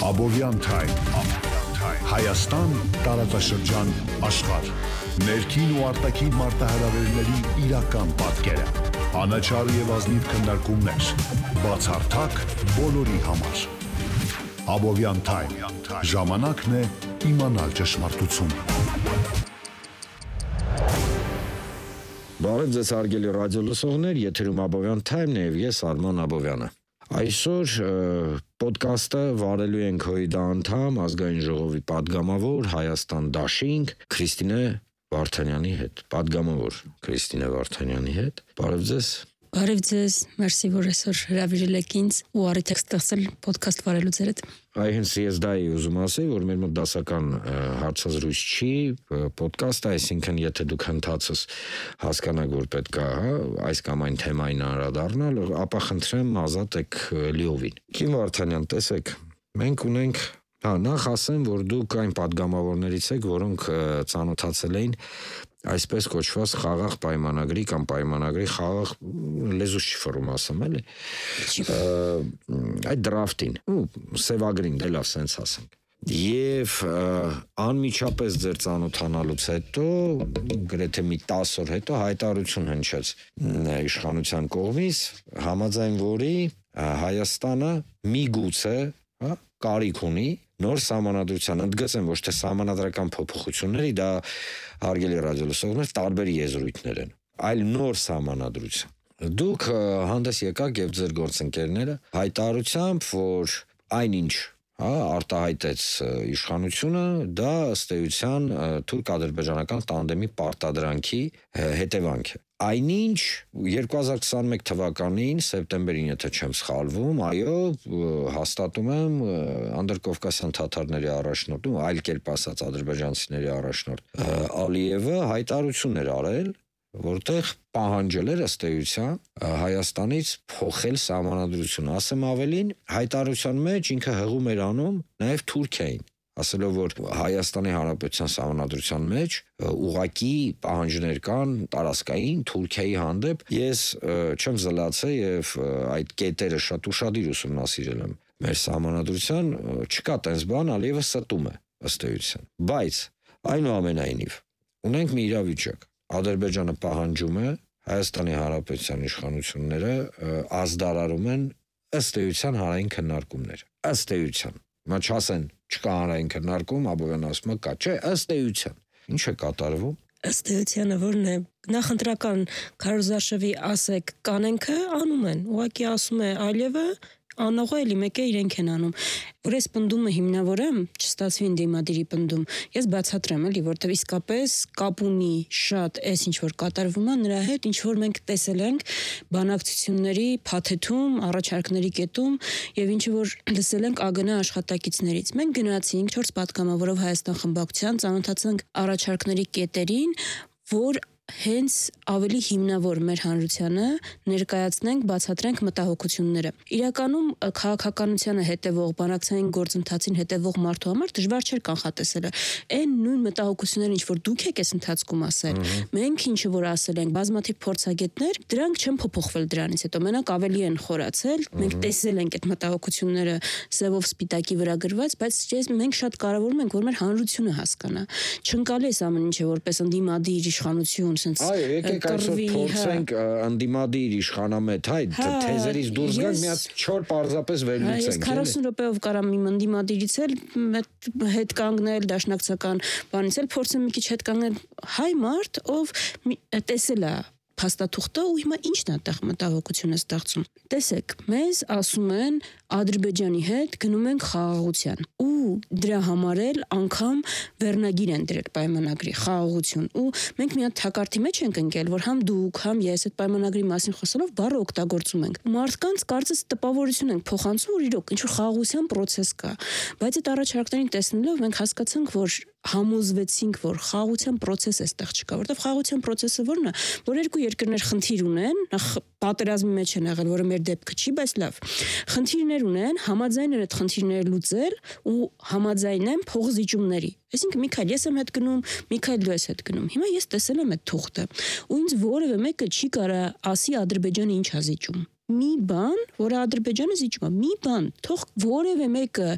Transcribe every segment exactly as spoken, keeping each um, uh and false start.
Abovyan Time, Հայաստան, տարածաշրջան, աշխարհ, ներքին ու արտաքին մարտահրավերների իրական պատկերը, անաչառ եւ ազնիվ քննարկումներ, բացառթակ բոլորի համար։ Abovyan Time, ժամանակն է իմանալ ճշմարտությունը։ Բարև ձեզ հարգելի ռադիոլսողներ, եթերում Abovyan Time-ն է եւ ես Արման Աբովյանը։ Այսօր պոդքասթը վարելու ենք ՀՅԴ անդամ, ազգային ժողովի падգամավոր Հայաստան դաշինք Քրիստինե Վարդանյանի հետ։ Падգամավոր Քրիստինե Վարդանյանի հետ։ Բարև ձեզ։ Բարև ձեզ, մերսի, որ այսօր հրավիրել եք ինձ ու առիթ եք ստեղծել պոդքասթ վարելու ձեր հետ։ Այ հենց ես դա էի ուզում ասել, որ մեր մոտ դասական հարցազրույց չի, պոդքաստ, այսինքն եթե դուք հնդածս հասկանաք, որ պետք է, հա, այս կամ այն թեմային անդրադառնալ, ապա խնդրեմ ազատ եք լիովին։ Քիմ Վարդանյան, տեսեք, մենք ունենք, հա, նախ ասեմ, որ դուք այն падգամավորներից եք, որոնք ծանոթացել էին այսպես կոչված խաղաղ պայմանագրի կամ պայմանագրի խաղաղ լեզուս չի ֆորում ասեմ, էլի։ Այդ դրաֆտին, ու սևագրին, դե լավ սենց ասենք։ Եվ անմիջապես ձեր ծանոթանալուց հետո, գրեթե մի տասը օր հետո հայտարարություն հնչեց իշխանության կողմից, համաձայն որի Հայաստանը միգուցե, հա, կարիք ունի նոր սահմանադրության, ընդգծեմ ոչ թե սահմանադրական փոփոխությունների, դա հարգելի ռադիոլսողներ տարբեր եզրույթներ են, այլ նոր սահմանադրության։ Դուք հանդես եկաք եւ ձեր գործընկերները հայտարարությամբ, որ այնինչ, հա, արտահայտեց իշխանությունը, դա ըստ էության թուրք-ադրբեջանական տանդեմի պարտադրանքի հետևանք է։ Այնինչ երկու հազար քսաներկու թվականին սեպտեմբերին, եթե չեմ սխալվում, այո, հաստատում եմ անդրկովկասյան թաթարների առաջնորդ, ու այլ կերպ ասած ադրբեջանցիների առաջնորդ Ալիևը հայտարարություն էր արել, որտեղ պահանջել էր ըստ էության Հայաստանից փոխել սահմանադրությունը։ Ասեմ ավելին, հայտարարության մեջ ինքը հղում էր անում նաև Թուրքիային, ասելով, որ Հայաստանի Հանրապետության սահմանադրության մեջ ուղղակի պահանջներ կան տարածքային Թուրքիայի հանդեպ։ Ես չեմ զլացել եւ այդ կետերը շատ ուշադիր ուսումնասիրել եմ մեր սահմանադրության, չկա տես բան, Ալիևը ստում է ըստ էության։ Բայց այնուամենայնիվ ունենք մի իրավիճակ։ Ադրբեջանը պահանջում է, Հայաստանի Հանրապետության իշխանությունները ազդարարում են ըստ էության հանրային քննարկումներ։ Ըստ էության, մա չասեն չկա հանրային քննարկում, Աբովյան ասում է կա, չէ, ըստ էության։ Ինչ է կատարվում։ Ըստ էությանը որն է, նախընտրական քարոզարշավի ասեք կանենքը անում են, ուղղակի ասում է Ալիևը, անողը էլի մեկ է իրենք են անում։ Որ այս պնդումը հիմնավորեմ, չստացվի ընդդիմադիրի պնդում, ես բացատրեմ էլի, որտեղ իսկապես կապ ունի շատ այս ինչ որ կատարվում է նրա հետ, ինչ որ մենք տեսել ենք բանակցությունների փաթեթում, առաջարկների կետում եւ ինչ որ լսել ենք ԱԳՆ աշխատակիցներից։ Մենք գնացինք չորս պատգամավորով Հայաստան խմբակցության, ծանոթացանք առաջարկների կետերին, որ հենց ավելի հիմնավոր մեր հանրությանը ներկայացնենք, բացատրենք մտահոգությունները։ Իրականում քաղաքականությանը հետևող, բանակցային գործընթացին հետևող մարդու համար դժվար չէր կանխատեսելը։ Այն նույն մտահոգությունները, ինչ որ դուք եք այս ընթացքում ասել, մենք ինչը որ ասել ենք, բազմաթիվ փորձագետներ, դրանք չեն փոփոխվել դրանից հետո, մենակ ավելի են խորացել։ Մենք տեսել ենք այդ մտահոգությունները սևով սպիտակի վրա գրված, բայց ես մենք շատ կարևորում ենք, որ մեր հանրությունը հասկանա։ Չընկալի այս ամեն ինչը որպես ընդդիմադիր իշխանություն Այո, եկեք այսօր փորձենք ընդդիմադիր իշխանամետ, հայ, թեզերից դուրս գանք, մի հատ չոր պարզապես վերլուծենք։ Ես քառասուն րոպեով կարամ իմ ընդդիմադիրից էլ հետ կանգնել, դաշնակցական բանից էլ փորձեմ մի քիչ հետ կանգնել, հայ մարդ, ով տեսել է փաստաթուղթը ու հիմա ի՞նչն է այդտեղ մտահոգությունը ստեղծում։ Տեսեք, մեզ ասում են Ադրբեջանի հետ գնում ենք խաղաղության ու դրա համար էլ անգամ վերնագիր են դրել պայմանագրի խաղաղություն ու մենք մի հատ թակարդի մեջ ենք ընկել, որ համ դուք, համ ես այդ պայմանագրի մասին խոսելով բառը օգտագործում ենք։ Մարդկանց կարծես տպավորություն ենք փոխանցում, որ իրոք ինչ որ խաղաղության process կա, բայց այդ առաջարկներին տեսնելով մենք հասկացանք, որ համոզվեցինք, որ խաղաղության process է այստեղ չկա, որովհետև խաղաղության process-ը որն է, որ երկու երկրներ խնդիր ունեն, նախ պատերազմի մեջ են եղել, որը մեր դեպքը չի, բայց լավ։ Խնդիրներ ունեն, համաձայն են այդ խնդիրները լուծել ու համաձայն են փողզիջումների։ Այսինքն Միքայել, ես եմ հետ գնում, Միքայել դու ես հետ գնում։ Հիմա ես տեսել եմ այդ թուղթը, ու ինձ որևէ մեկը չի կարա ասի Ադրբեջանը ինչ ա զիջում։ Մի բան, որը Ադրբեջանը զիջում է, մի բան, թող որևէ մեկը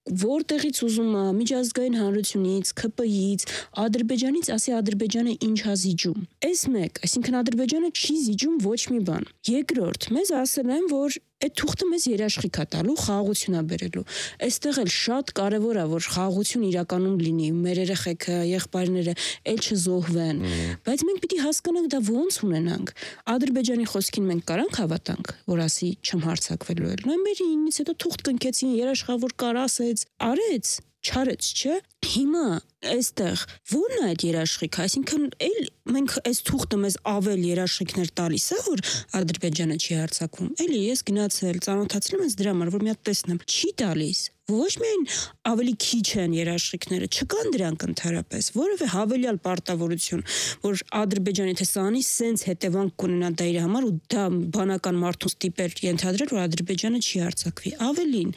որտեղից ուզում է միջազգային հանրությունից, K P I-ից, Ադրբեջանից, ասի Ադրբեջանը ինչ է զիջում։ Այս մեկ, այսինքն Ադրբեջանը չի զիջում ոչ մի բան։ Երկրորդ, մեզ ասել են, որ այդ թուղթը մեզ երաշխիք է տալու, խաղաղություն է բերելու։ Այստեղ էլ շատ կարևոր է, որ խաղաղություն իրականում լինի, մեր երեխեքը, եղբայրները էլ չզոհվեն։ Բայց մենք պիտի հասկանանք դա ոնց ունենանք։ Ադրբեջանի խոսքին մենք կարանք հավատանք, որ ասի չեմ հարձակվելու էլ։ Նոյեմբերի ինից հետո թուղթ կնքեցին, երաշխավոր կար ասեց, արեց, չարեց, չէ։ Հիմա այստեղ ո՞րն է այդ երաշխիքը, այսինքն էլ մենք այս թուղթը մեզ ավել երաշխիքներ տալիս է, որ Ադրբեջանը չի հարձակվում։ Էլի ես գնացել, ծանոթացել եմ ես դրա համար, որ մի հատ տեսնեմ, չի տալիս։ Ոչ միայն ավելի քիչ են երաշխիքները, չկան դրանք ընդհանրապես, որևէ հավելյալ պարտավորություն, որ Ադրբեջանի թե սանի սենց հետևանք կունենա դա իր համար ու դա բանական մարդուց տիպեր ենթադրել, որ Ադրբեջանը չի հարձակվի։ Ավելին,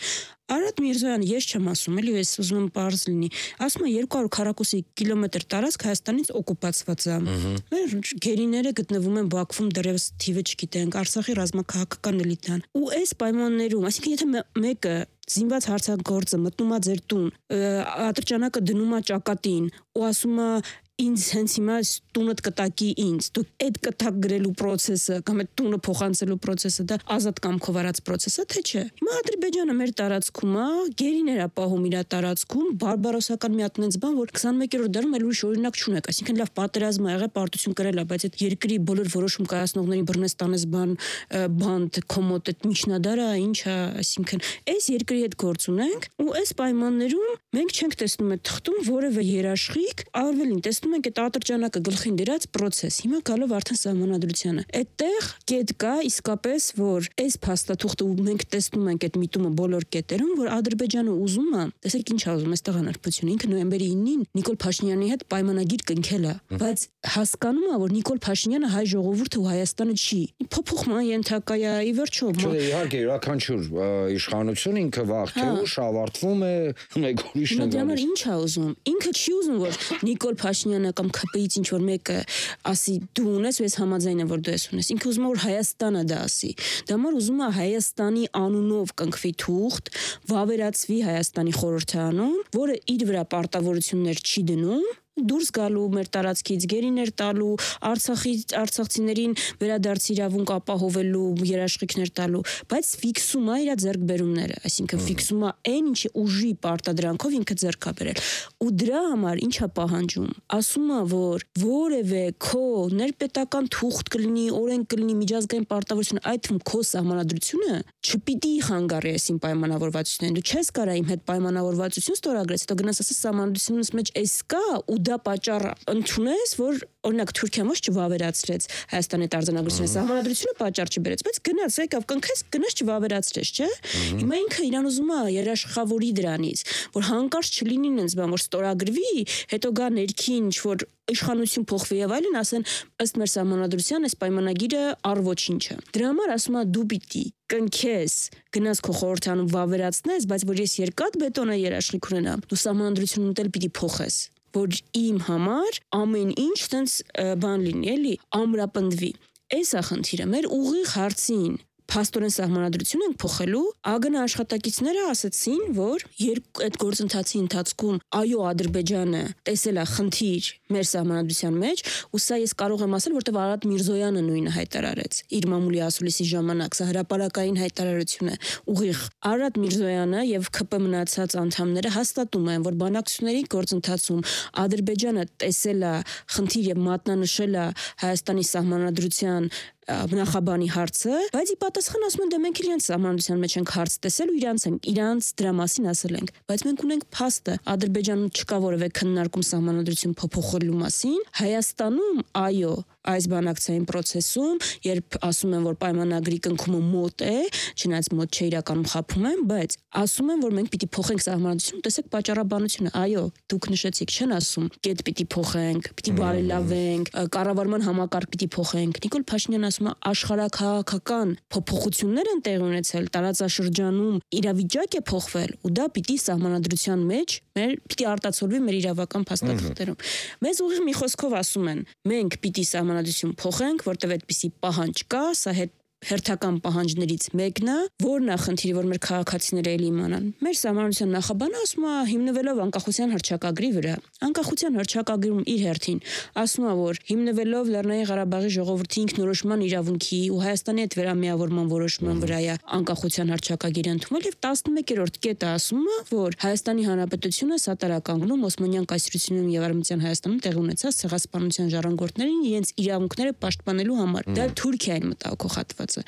Արադ Միրզոյանը ես չեմ ասում, էլի ես ուզում եմ պարզ լինի։ Ասում է երկու հարյուր քառակուսի կիլոմետր տարածք Հայաստանից օկուպացված է։ Մեր գերիները գտնվում են Բաքվում, դեռևս թիվը չգիտենք, Արցախի ռազմաքաղաքական էլիտան։ Ու այս պայմաններում, այսինքն եթե մեկը զինված հարձակողը մտնում է ձեր տուն, ատրճանակը դնում է ճակատին ու ասում է ինձ հենց հիմա տունդ կտակի ինձ, դու այդ կտակ գրելու process-ը կամ այդ տունը փոխանցելու process-ը դա ազատ կամքով արած process-ը թե չէ։ Հիմա Ադրբեջանը մեր տարածքում է, գերիներ է պահում իր տարածքում, բարբարոսական մի հատ նենց բան, որ քսանմեկերորդ դարում էլ ուրիշ օրինակ չունեք, այսինքն լավ պատերազմ ա եղել, պարտություն կրել է, բայց այդ երկրի բոլոր որոշում կայացնողների բռնես տանես բան, բանդ, կոմոդ այդ միջնադարը ինչ է, այսինքն այս երկրի հետ գործ ունենք ու այս պայմաններում մենք չենք տեսնում այդ թղթում որևէ երաշխիք, ավելին տեսնում ենք այդ ատրճանակը գլխին դրած process։ Հիմա գալով արդեն սահմանադրությանը։ Այդտեղ կետ կա իսկապես, որ այս փաստաթուղթը ու մենք տեսնում ենք այդ միտումը բոլոր կետերում, որ Ադրբեջանը ուզում է, տեսեք ինչ է ուզում, այստեղ անարդարություն։ Ինքը նոյեմբերի ինին Նիկոլ Փաշինյանի հետ պայմանագիր կնքել է, բայց հասկանում է, որ Նիկոլ Փաշինյանը հայ ժողովուրդը ու Հայաստանը չի։ Փոփոխման ենթակա է, ի վերջո։ Չէ, իհարկե, յուրաքանչյուր իշխանություն ինքը վաղ թե ուշ ավարտվում է, մեկ ուրիշն է գալիս։ Ինչ է ուզում։ Ինքը չի ուզում, որ Նիկոլ Փաշինյանը կամ K P I-ից ինչ որ մեկը ասի դու ունես ու ես համաձայն եմ որ դու ես ունես։ Ինքը ուզում է որ Հայաստանը դա ասի։ Դա համար ուզում է Հայաստանի անունով կնքվի թուղթ, վավերացվի Հայաստանի խորհրդի անուն, որը իր վրա պարտավորություններ չի դնում դուրս գալու մեր տարածքից գերիներ տալու Արցախի արցախցիներին վերադարձ իրավունք ապահովելու երաշխիքներ տալու բայց ֆիքսում է իր ձեռքբերումները այսինքն ֆիքսում է այն ինչի ուժի պարտադրանքով ինքը ձեռք է բերել ու դրա համար ինչ է պահանջում ասում է որ որևէ քո ներպետական թուղթ կլինի օրենք կլինի միջազգային պարտավորություն այդ թվում քո սահմանադրությունը չպիտի խանգարի այսին պայմանավորվածություններին դու չես կարա իմ հետ պայմանավորվածություն ստորագրես հետո գնաս ասես սահմանադրությունից մեջ էս կա ու դա պատճառ ընդունես, որ օրինակ Թուրքիան ոչ չվավերացրեց Հայաստանի արձանագրությունը, սահմանադրությունը պատճառ չբերեց, բայց գնաց եկավ կնքես, գնաց չվավերացրեց, չէ՞։ Հիմա ինքը իրան ուզում է երաշխավորի դրանից, որ հանկարծ չլինի նենց բան, որ ստորագրվի, հետո գա ներքին ինչ-որ իշխանություն փոխվի եւ այլն, ասեն ըստ մեր սահմանադրության այս պայմանագիրը առ ոչինչ է։ Դրա համար ասում է դու պիտի կնքես, գնաս քո խորհրդանում վավերացնես, բայց որ ես երկաթ բետոնը երաշխիք ունենամ, դու սահմանադրությունն էլ պիտի փոխես որ իմ համար ամեն ինչ տենց բան լինի, էլի, ամրապնդվի։ Այս է խնդիրը, մեր ուղիղ հարցին փաստորեն սահմանադրություն ենք փոխելու, ԱԳՆ աշխատակիցները ասացին, որ երբ այդ գործընթացի ընթացքում այո Ադրբեջանը տեսել է խնդիր մեր սահմանադրության մեջ, ու սա ես կարող եմ ասել, որտեղ Արադ Միրզոյանը նույնը հայտարարեց իր մամուլի ասուլիսի ժամանակ, սա հրապարակային հայտարարություն է, ուղիղ Արադ Միրզոյանը եւ K P մնացած անդամները հաստատում են, որ բանակցությունների գործընթացում Ադրբեջանը տեսել է խնդիր եւ մատնանշել է Հայաստանի սահմանադրության նախաբանի հարցը, բայց ի պատասխան ասում են դե մենք իրենց սահմանադրության մեջ ենք հարց տեսել ու իրանց ենք իրանց դրա մասին ասել ենք, բայց մենք ունենք փաստը, Ադրբեջանում չկա որևէ քննարկում սահմանադրություն փոփոխելու մասին, Հայաստանում այո այս բանակցային process-ում, երբ ասում են, որ պայմանագրի կնքումը մոտ է, չնայած մոտ չէ իրականում խափում են, բայց ասում են, որ մենք պիտի փոխենք սահմանադրությունը, տեսեք պատճառաբանությունը, այո, դուք նշեցիք, չեն ասում, կետ պիտի փոխենք, պիտի բարելավենք, կառավարման համակարգ պիտի փոխենք։ Նիկոլ Փաշինյանը ասում է, աշխարհաքաղաքական փոփոխություններ են տեղի ունեցել, տարածաշրջանում իրավիճակ է փոխվել, ու դա պիտի սահմանադրության մեջ մեր պիտի արտացոլվի մեր իրավական փաստաթղթերում։ Մեզ ուղիղ մի խոսքով ասում են, մենք պիտի սահմանադրություն փոխենք, որտեղ այդպիսի պահանջ կա, սա հետ հերթական պահանջներից մեկն է, որն է խնդիրը, որ մեր քաղաքացիները էլի իմանան։ Մեր սահմանության նախաբանը ասում է հիմնվելով անկախության հռչակագրի վրա։ Անկախության հռչակագրում իր հերթին ասում է, որ հիմնվելով Լեռնային Ղարաբաղի ժողովրդի ինքնորոշման իրավունքի ու Հայաստանի հետ վերամիավորման որոշման վրա է անկախության հռչակագիրը ընդունվել եւ տասնմեկերորդ կետը ասում է, որ Հայաստանի Հանրապետությունը սատարականգնում Օսմանյան կայսրությունում եւ Արևմտյան Հայաստանում տեղի ունեցած ցեղասպանության ժառանգորդներին իրենց իրավունքները պաշտպանելու համար։ Դա Թուրքիային մտահոգողատված է։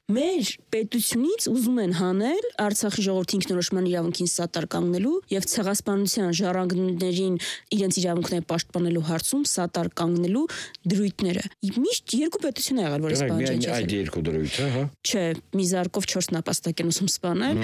Մեր պետությունից ուզում են հանել Արցախի ժողովրդի ինքնորոշման իրավունքին սատար կանգնելու եւ ցեղասպանության ժառանգներին իրենց իրավունքները պաշտպանելու հարցում սատար կանգնելու դրույթները։ Միշտ երկու պետություն ա եղել, որ այս բանը չէ։ Այդ երկու դրույթը, հա։ Չէ, մի զարկով չորս նապաստակ են ուսում սպանել։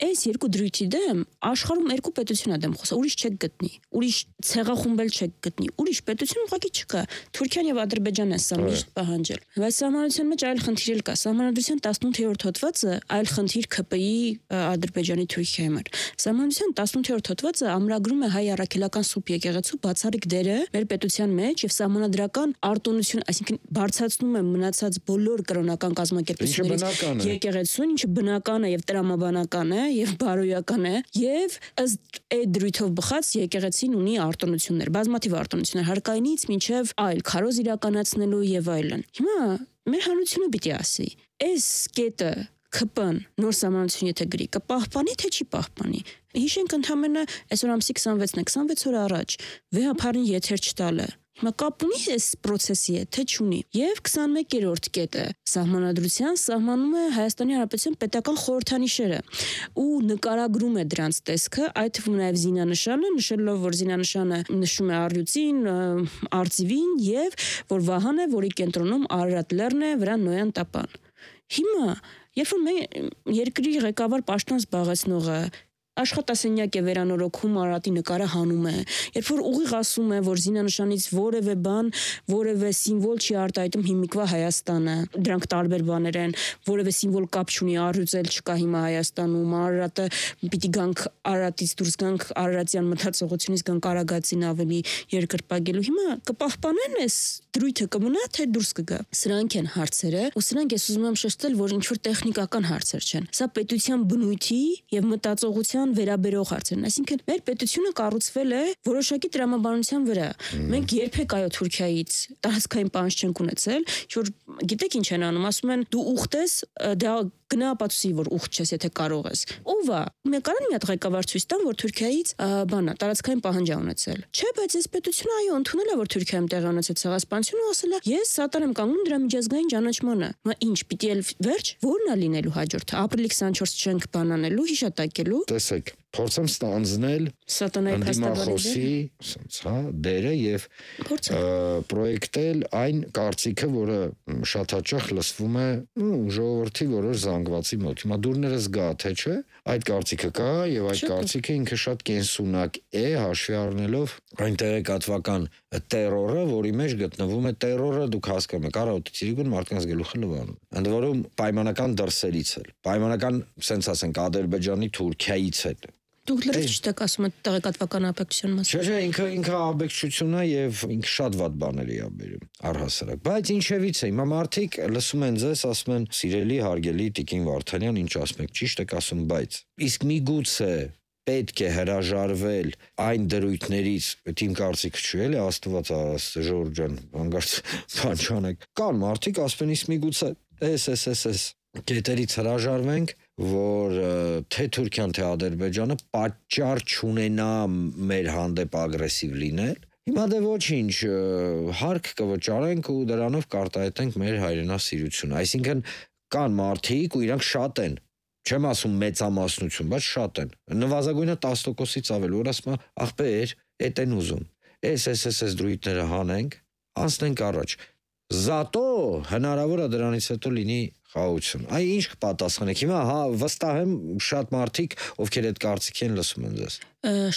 Այս երկու դրույթի դեմ աշխարհում երկու պետություն ա դեմ խոսա, ուրիշ չեք գտնի։ Ուրիշ ցեղախումբել չեք գտնի։ Ուրիշ պետություն ուղղակի չկա։ Թուրքիան եւ Ադրբեջանն է սա միշտ պահանջել։ Բայց սահմանության մեջ այլ խնդիր էլ կա։ Սահմանադրության տասնութերորդ հոդվածը այլ խնդիր ՔՊ-ի Ադրբեջանի Թուրքիայի համար։ Սահմանության տասնութերորդ հոդվածը ամրագրում է հայ առաքելական սուրբ եկեղեցու բացառիկ դերը մեր պետության մեջ եւ սահմանադրական արտոնություն, այսինքն բարձրացնում է մնացած բոլոր կրոնական կազմակերպությունների եկեղեցուն, ինչը բնական է եւ տրամաբանական է եւ բարոյական է եւ ըստ այդ դրույթով բխած եկեղեցին ունի արտոնություններ, բազմաթիվ արտոնություններ հարկայինից մինչեւ այլ քարոզ իրականացնելու եւ այլն։ Հիմա մեր հանրությունը պիտի ասի, այս կետը ՔՊ-ն նոր սահմանություն եթե գրի, կպահպանի թե չի պահպանի։ Հիշենք ընդամենը այսօր ամսի քսանվեցն է, քսանվեց օր առաջ վեհապարին եթեր չտալը։ Հիմա կապ ունի այս process-ի հետ, թե չունի։ Եվ քսանմեկերորդ կետը սահմանադրության սահմանում է Հայաստանի Հանրապետության պետական խորհրդանիշերը ու նկարագրում է դրանց տեսքը, այդ թվում նաև զինանշանը, նշելով, որ զինանշանը նշում է առյուծին, արծիվին եւ որ վահան է, որի կենտրոնում Արարատ լեռն է, վրան Նոյան տապան։ Հիմա, երբ որ մեր երկրի ղեկավար պաշտոն զբաղեցնողը աշխատասենյակ է վերանորոգում Արարատի նկարը հանում է, երբ որ ուղիղ ասում է, որ զինանշանից որևէ բան, որևէ սիմվոլ չի արտահայտում հիմիկվա Հայաստանը, դրանք տարբեր բաներ են, որևէ սիմվոլ կապ չունի, առյուծել չկա հիմա Հայաստանում, Արարատը պիտի գանք Արարատից դուրս գանք Արարատյան մտածողությունից գանք Արագածին ավելի երկրպագելու։ Հիմա կպահպանեն այս դրույթը կմնա թե դուրս կգա։ Սրանք են հարցերը, ու սրանք ես ուզում եմ շեշտել, որ ինչ որ տեխնիկական հարցեր չեն։ Սա պետության բնույթի եւ մտածողության վերաբերող հարցերն, այսինքն մեր պետությունը կառուցվել է որոշակի տրամաբանության վրա։ Մենք երբեք այո Թուրքիայից տարածքային պահանջ չենք ունեցել, որ գիտեք ինչ են անում, ասում են դու ուխտ ես, դա գնա ապացուցի, որ ուխտ չես, եթե կարող ես։ Ով է։ Մենք կարան մի հատ ղեկավար ցույց տան, որ Թուրքիայից բանա տարածքային պահանջ ա ունեցել։ Չէ, բայց այս պետությունը այո ընդունել է, որ Թուրքիայում տեղի ունեցած ցեղասպանությունը ու ասել է, ես սատար եմ կանգնում դրա միջազգային ճանաչմանը։ Մա ինչ, պիտի էլ վերջ, ո՞րն է լինելու հաջորդը։ Ապրիլի քսանչորս չենք բանանելու, հիշատակելու։ Տեսեք, փորձեմ ստանձնել սատանայի փաստաբանի, հա, դերը եւ պրոյեկտել այն կարծիքը, որը շատ հաճախ լսվում է ժողովրդի որոշ զանգվածի մոտ։ Հիմա դուրներս գա թե չէ, այդ կարծիքը կա եւ այդ կարծիքը ինքը շատ կենսունակ է, հաշվի առնելով այն տեղեկատվական տերորը, որի մեջ գտնվում է տերորը, դուք հասկանում եք, առավոտից մարդկանց գլուխը լվանում։ Ընդ որում պայմանական դրսերից էլ, պայմանական, ասենք ասենք Ադրբեջանի Թուրքիայից էլ։ Դուք լրիվ չեք ասում այդ տեղեկատվական ապեքչության մասին։ Չէ, չէ, ինքը ինքը ապեքչություն է եւ ինքը շատ վատ բաների է բերում առհասարակ։ Բայց ինչևից է, հիմա մարդիկ լսում են ձեզ, ասում են՝ «Սիրելի, հարգելի Տիկին Վարդանյան, ինչ ասում եք, ճիշտ եք ասում, բայց իսկ միգուցե պետք է հրաժարվել այն դրույթներից, այդ իմ կարծիքը չի, էլի, Աստված ասա, Ժորժ ջան, հանգարց բան չանեք։ Կան մարդիկ ասում են՝ իսկ միգուցե էս էս էս էս կետերից հրաժարվենք, որ թե Թուրքիան, թե Ադրբեջանը պատճառ չունենա մեր հանդեպ ագրեսիվ լինել։ Հիմա դե ոչինչ, հարկ կվճարենք ու դրանով կարտահայտենք մեր հայրենասիրությունը։ Այսինքն կան մարդիկ ու իրանք շատ են, չեմ ասում մեծամասնություն, բայց շատ են։ Նվազագույնը տասը տոկոսից ավել, որ ասում է, ախպեր, էդ են ուզում։ Էս էս էս էս դրույթները հանենք, անցնենք առաջ։ Զատո հնարավոր է դրանից հետո լինի խաղաղություն։ Այ ինչ կպատասխանեք։ Հիմա հա վստահ եմ շատ մարդիկ, ովքեր այդ կարծիքի են լսում են ձեզ։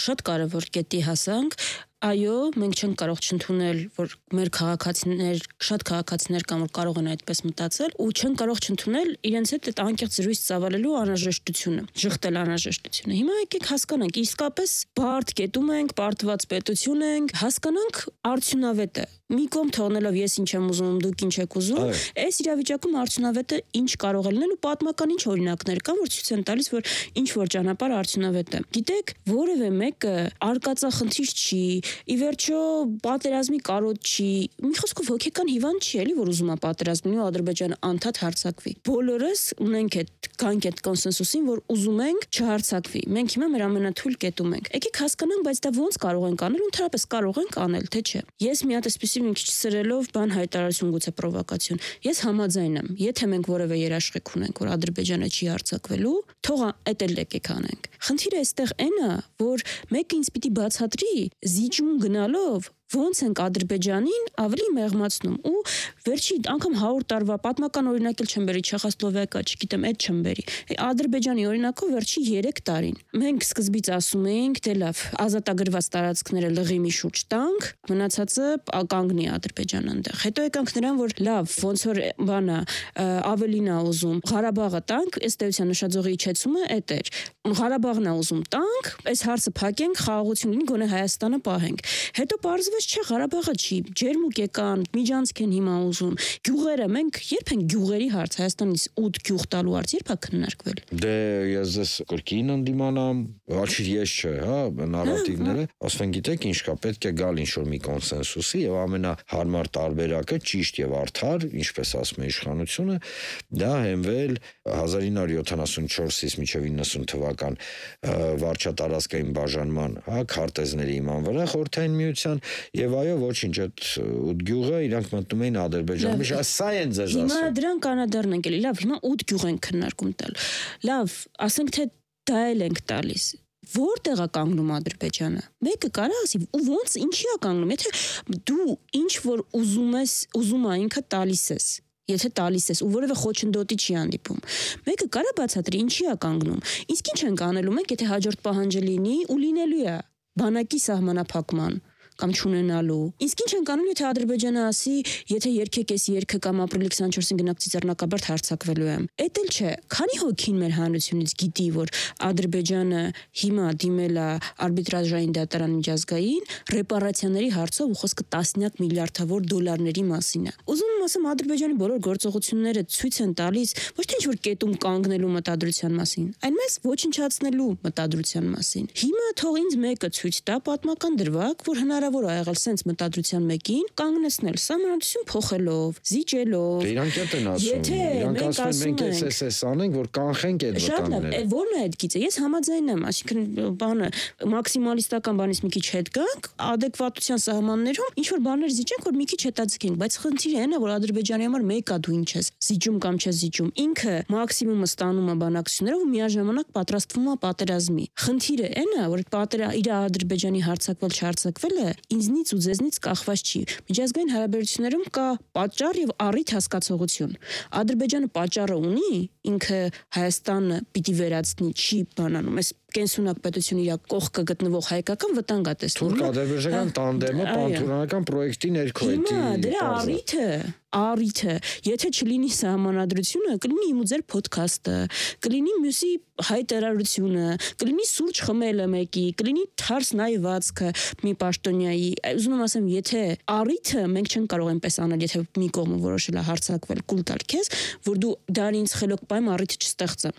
Շատ կարևոր կետի հասանք։ այո, մենք չենք կարող չընդունել, որ մեր քաղաքացիներ, շատ քաղաքացիներ կան, որ կարող են այդպես մտածել, ու չեն կարող չընդունել իրենց հետ այդ անկեղծ զրույց ծավալելու անհրաժեշտությունը, ժխտել անհրաժեշտությունը։ Հիմա եկեք հասկանանք, իսկապես բարդ կետում ենք, բարդված պետություն ենք, հասկանանք արդյունավետը։ Մի կողմ թողնելով ես ինչ եմ ուզում, դուք ինչ եք ուզում, այս իրավիճակում արդյունավետը ինչ կարող է լինել ու պատմական ինչ օրինակներ կան, որ ցույց են տալիս, որ ինչ որ ճանապարհ արդյունավետ է։ Գիտեք, որևէ մեկը արկածախնդիր չի, ի վերջո պատերազմի կարոտ չի, մի խոսքով հոգեկան հիվանդ չի էլի, որ ուզում է պատերազմի ու Ադրբեջանը անդադ հարձակվի։ Բոլորս ունենք այդ կանք այդ կոնսենսուսին, որ ուզում ենք չհարձակվի։ Մենք հիմա մեր ամենաթույլ կետում ենք։ Եկեք հասկանանք, բայց դա ոնց կարող ենք անել, ընդհանրապես կարող ենք անել, թե չէ։ Ես մի հատ այսպեսի մի քիչ սրելով բան հայտարարություն գուցե պրովոկացիոն։ Ես համաձայն եմ, եթե մենք որևէ երաշխիք ունենք, որ Ադրբեջանը չի հարձակվելու, թող այդ էլ եկեք անենք։ Խնդիրը այստեղ այն է, որ մեկը ինձ պիտի բացատրի զիջում գնալով ոնց ենք Ադրբեջանին ավելի մեղմացնում ու վերջի անգամ հարյուր տարվա պատմական օրինակ էլ չեմ բերի Չեխոսլովակիա, չգիտեմ, այդ չեմ բերի։ Ադրբեջանի օրինակով վերջի երեք տարին մենք սկզբից ասում էինք, դե լավ, ազատագրված տարածքները լղի մի շուրջ տանք, մնացածը կանգնի Ադրբեջանը այնտեղ։ Հետո եկանք նրան, որ լավ, ոնց որ բանը ավելին է ուզում, Ղարաբաղը տանք, ըստ էության նշաձողի իջեցումը այդ էր։ Ղարաբաղն է ուզում տանք, այս հարցը փակենք, խաղաղություն լինի, գոնե Հայաստանը պահենք։ Հետո պարզվեց չէ, Ղարաբաղը չի, ջերմուկ եկան, միջանցք են հիմա ուզում։ Գյուղերը, մենք երբ են գյուղերի հարց, Հայաստանից ութ գյուղ տալու հարց երբ է քննարկվել։ Դե ես ես կրկին ընդդիմանամ, ոչ ես չէ, հա, նարատիվները, ասեն գիտեք ինչ կա, պետք է գալ ինչ-որ մի կոնսենսուսի եւ ամենահարմար տարբերակը ճիշտ եւ արդար, ինչպես ասում է իշխանությունը, դա հենվել հազար ինը հարյուր յոթանասունչորսից մինչև իննսուն թվական վարչատարածքային բաժանման, հա, քարտեզների իման վրա խորհրդային միության եւ այո ոչինչ այդ ութ գյուղը իրանք մտնում էին Ադրբեջան։ Միշտ սա են ձեզ ասում։ Հիմա դրան կանադառն ենք էլի, լավ, հիմա ութ գյուղ ենք քննարկում տալ։ Լավ, ասենք թե դա էլ ենք տալիս։ Որտեղ է կանգնում Ադրբեջանը։ Մեկը կարա ասի, ու ոնց ինչի է կանգնում, եթե դու ինչ որ ուզում ես, ուզում ա ինքը տալիս ես։ Եթե տալիս ես ու որևէ խոչընդոտի չի հանդիպում։ Մեկը կարա բացատրի ինչի է կանգնում։ Իսկ ինչ ենք անելու մենք, եթե հաջորդ պահանջը լինի ու լինելու է բանակի սահմանափակման կամ չունենալու։ Իսկ ինչ ենք անելու, եթե Ադրբեջանը ասի, եթե երկեք էս երկը կամ ապրիլի քսանչորսին գնաք Ծիծեռնակաբերդ հարձակվելու եմ։ Էդ էլ չէ։ Քանի հոգին մեր հանրությունից գիտի, որ Ադրբեջանը հիմա դիմել է արբիտրաժային դատարան միջազգային ռեպարացիաների հարցով ու խոսքը տասնյակ միլիարդավոր դոլարների մասին է։ Ուզում եմ ասեմ, Ադրբեջանի բոլոր գործողությունները ցույց են տալիս ոչ թե ինչ-որ կետում կանգնելու մտադրության մասին, այլ մեզ ոչնչացնելու մտադրության մասին։ Հիմա թող ինձ մեկը ցույց տա պատմական դրվագ, որ հնարավոր է եղել սենց մտադրության մեկին կանգնեցնել սահմանադրություն փոխելով, զիջելով։ Դե իրանք էլ են ասում։ Իրանք ասում են մենք էս էս անենք, որ կանխենք այդ վտանգները։ Որն է այդ գիծը։ Ես համաձայն եմ, այսինքն բանը մաքսիմալիստական բանից մի քիչ հետ գանք, adekvatության սահմաններում ինչ որ բաներ զիջենք, որ մի քիչ հետաձգենք, բայց խնդիրը այն է, որ Ադրբեջանի համար մեկա դու ինչ ես, զիջում կամ չես զիջում։ Ինքը մաքսիմումը ստանում է բանակցություններով ու միաժամանակ պատրաստվում է պատերազմի։ Խնդիրը այն է, որ պատերա իր Ադրբեջանի հարձակվել չհարձակվելը ինձնից ու ձեզնից կախված չի։ Միջազգային հարաբերություններում կա պատճառ եւ առիթ հասկացողություն։ Ադրբեջանը պատճառը ունի, ինքը Հայաստանը պիտի վերացնի, չի բանանում։ Այս կենսունակ պետություն իր կողքը գտնվող հայկական վտանգ է տեսնում։ Թուրք-ադրբեջանական տանդեմը պանթուրքական պրոյեկտի ներքո է։ Հիմա դրա առիթը, առիթը, եթե չլինի սահմանադրությունը, կլինի իմ ու ձեր ոդքասթը, կլինի մյուսի հայտարարությունը, կլինի սուրճ խմելը մեկի, կլինի թարս նայվածքը մի պաշտոնյայի։ Ուզում եմ ասեմ, եթե առիթը մենք չենք կարող այնպես անել, եթե մի կողմը որոշել է հարձակվել, կուլ տալ քեզ, որ դու դարինց խելոք պայեմ առիթը չստեղծեմ։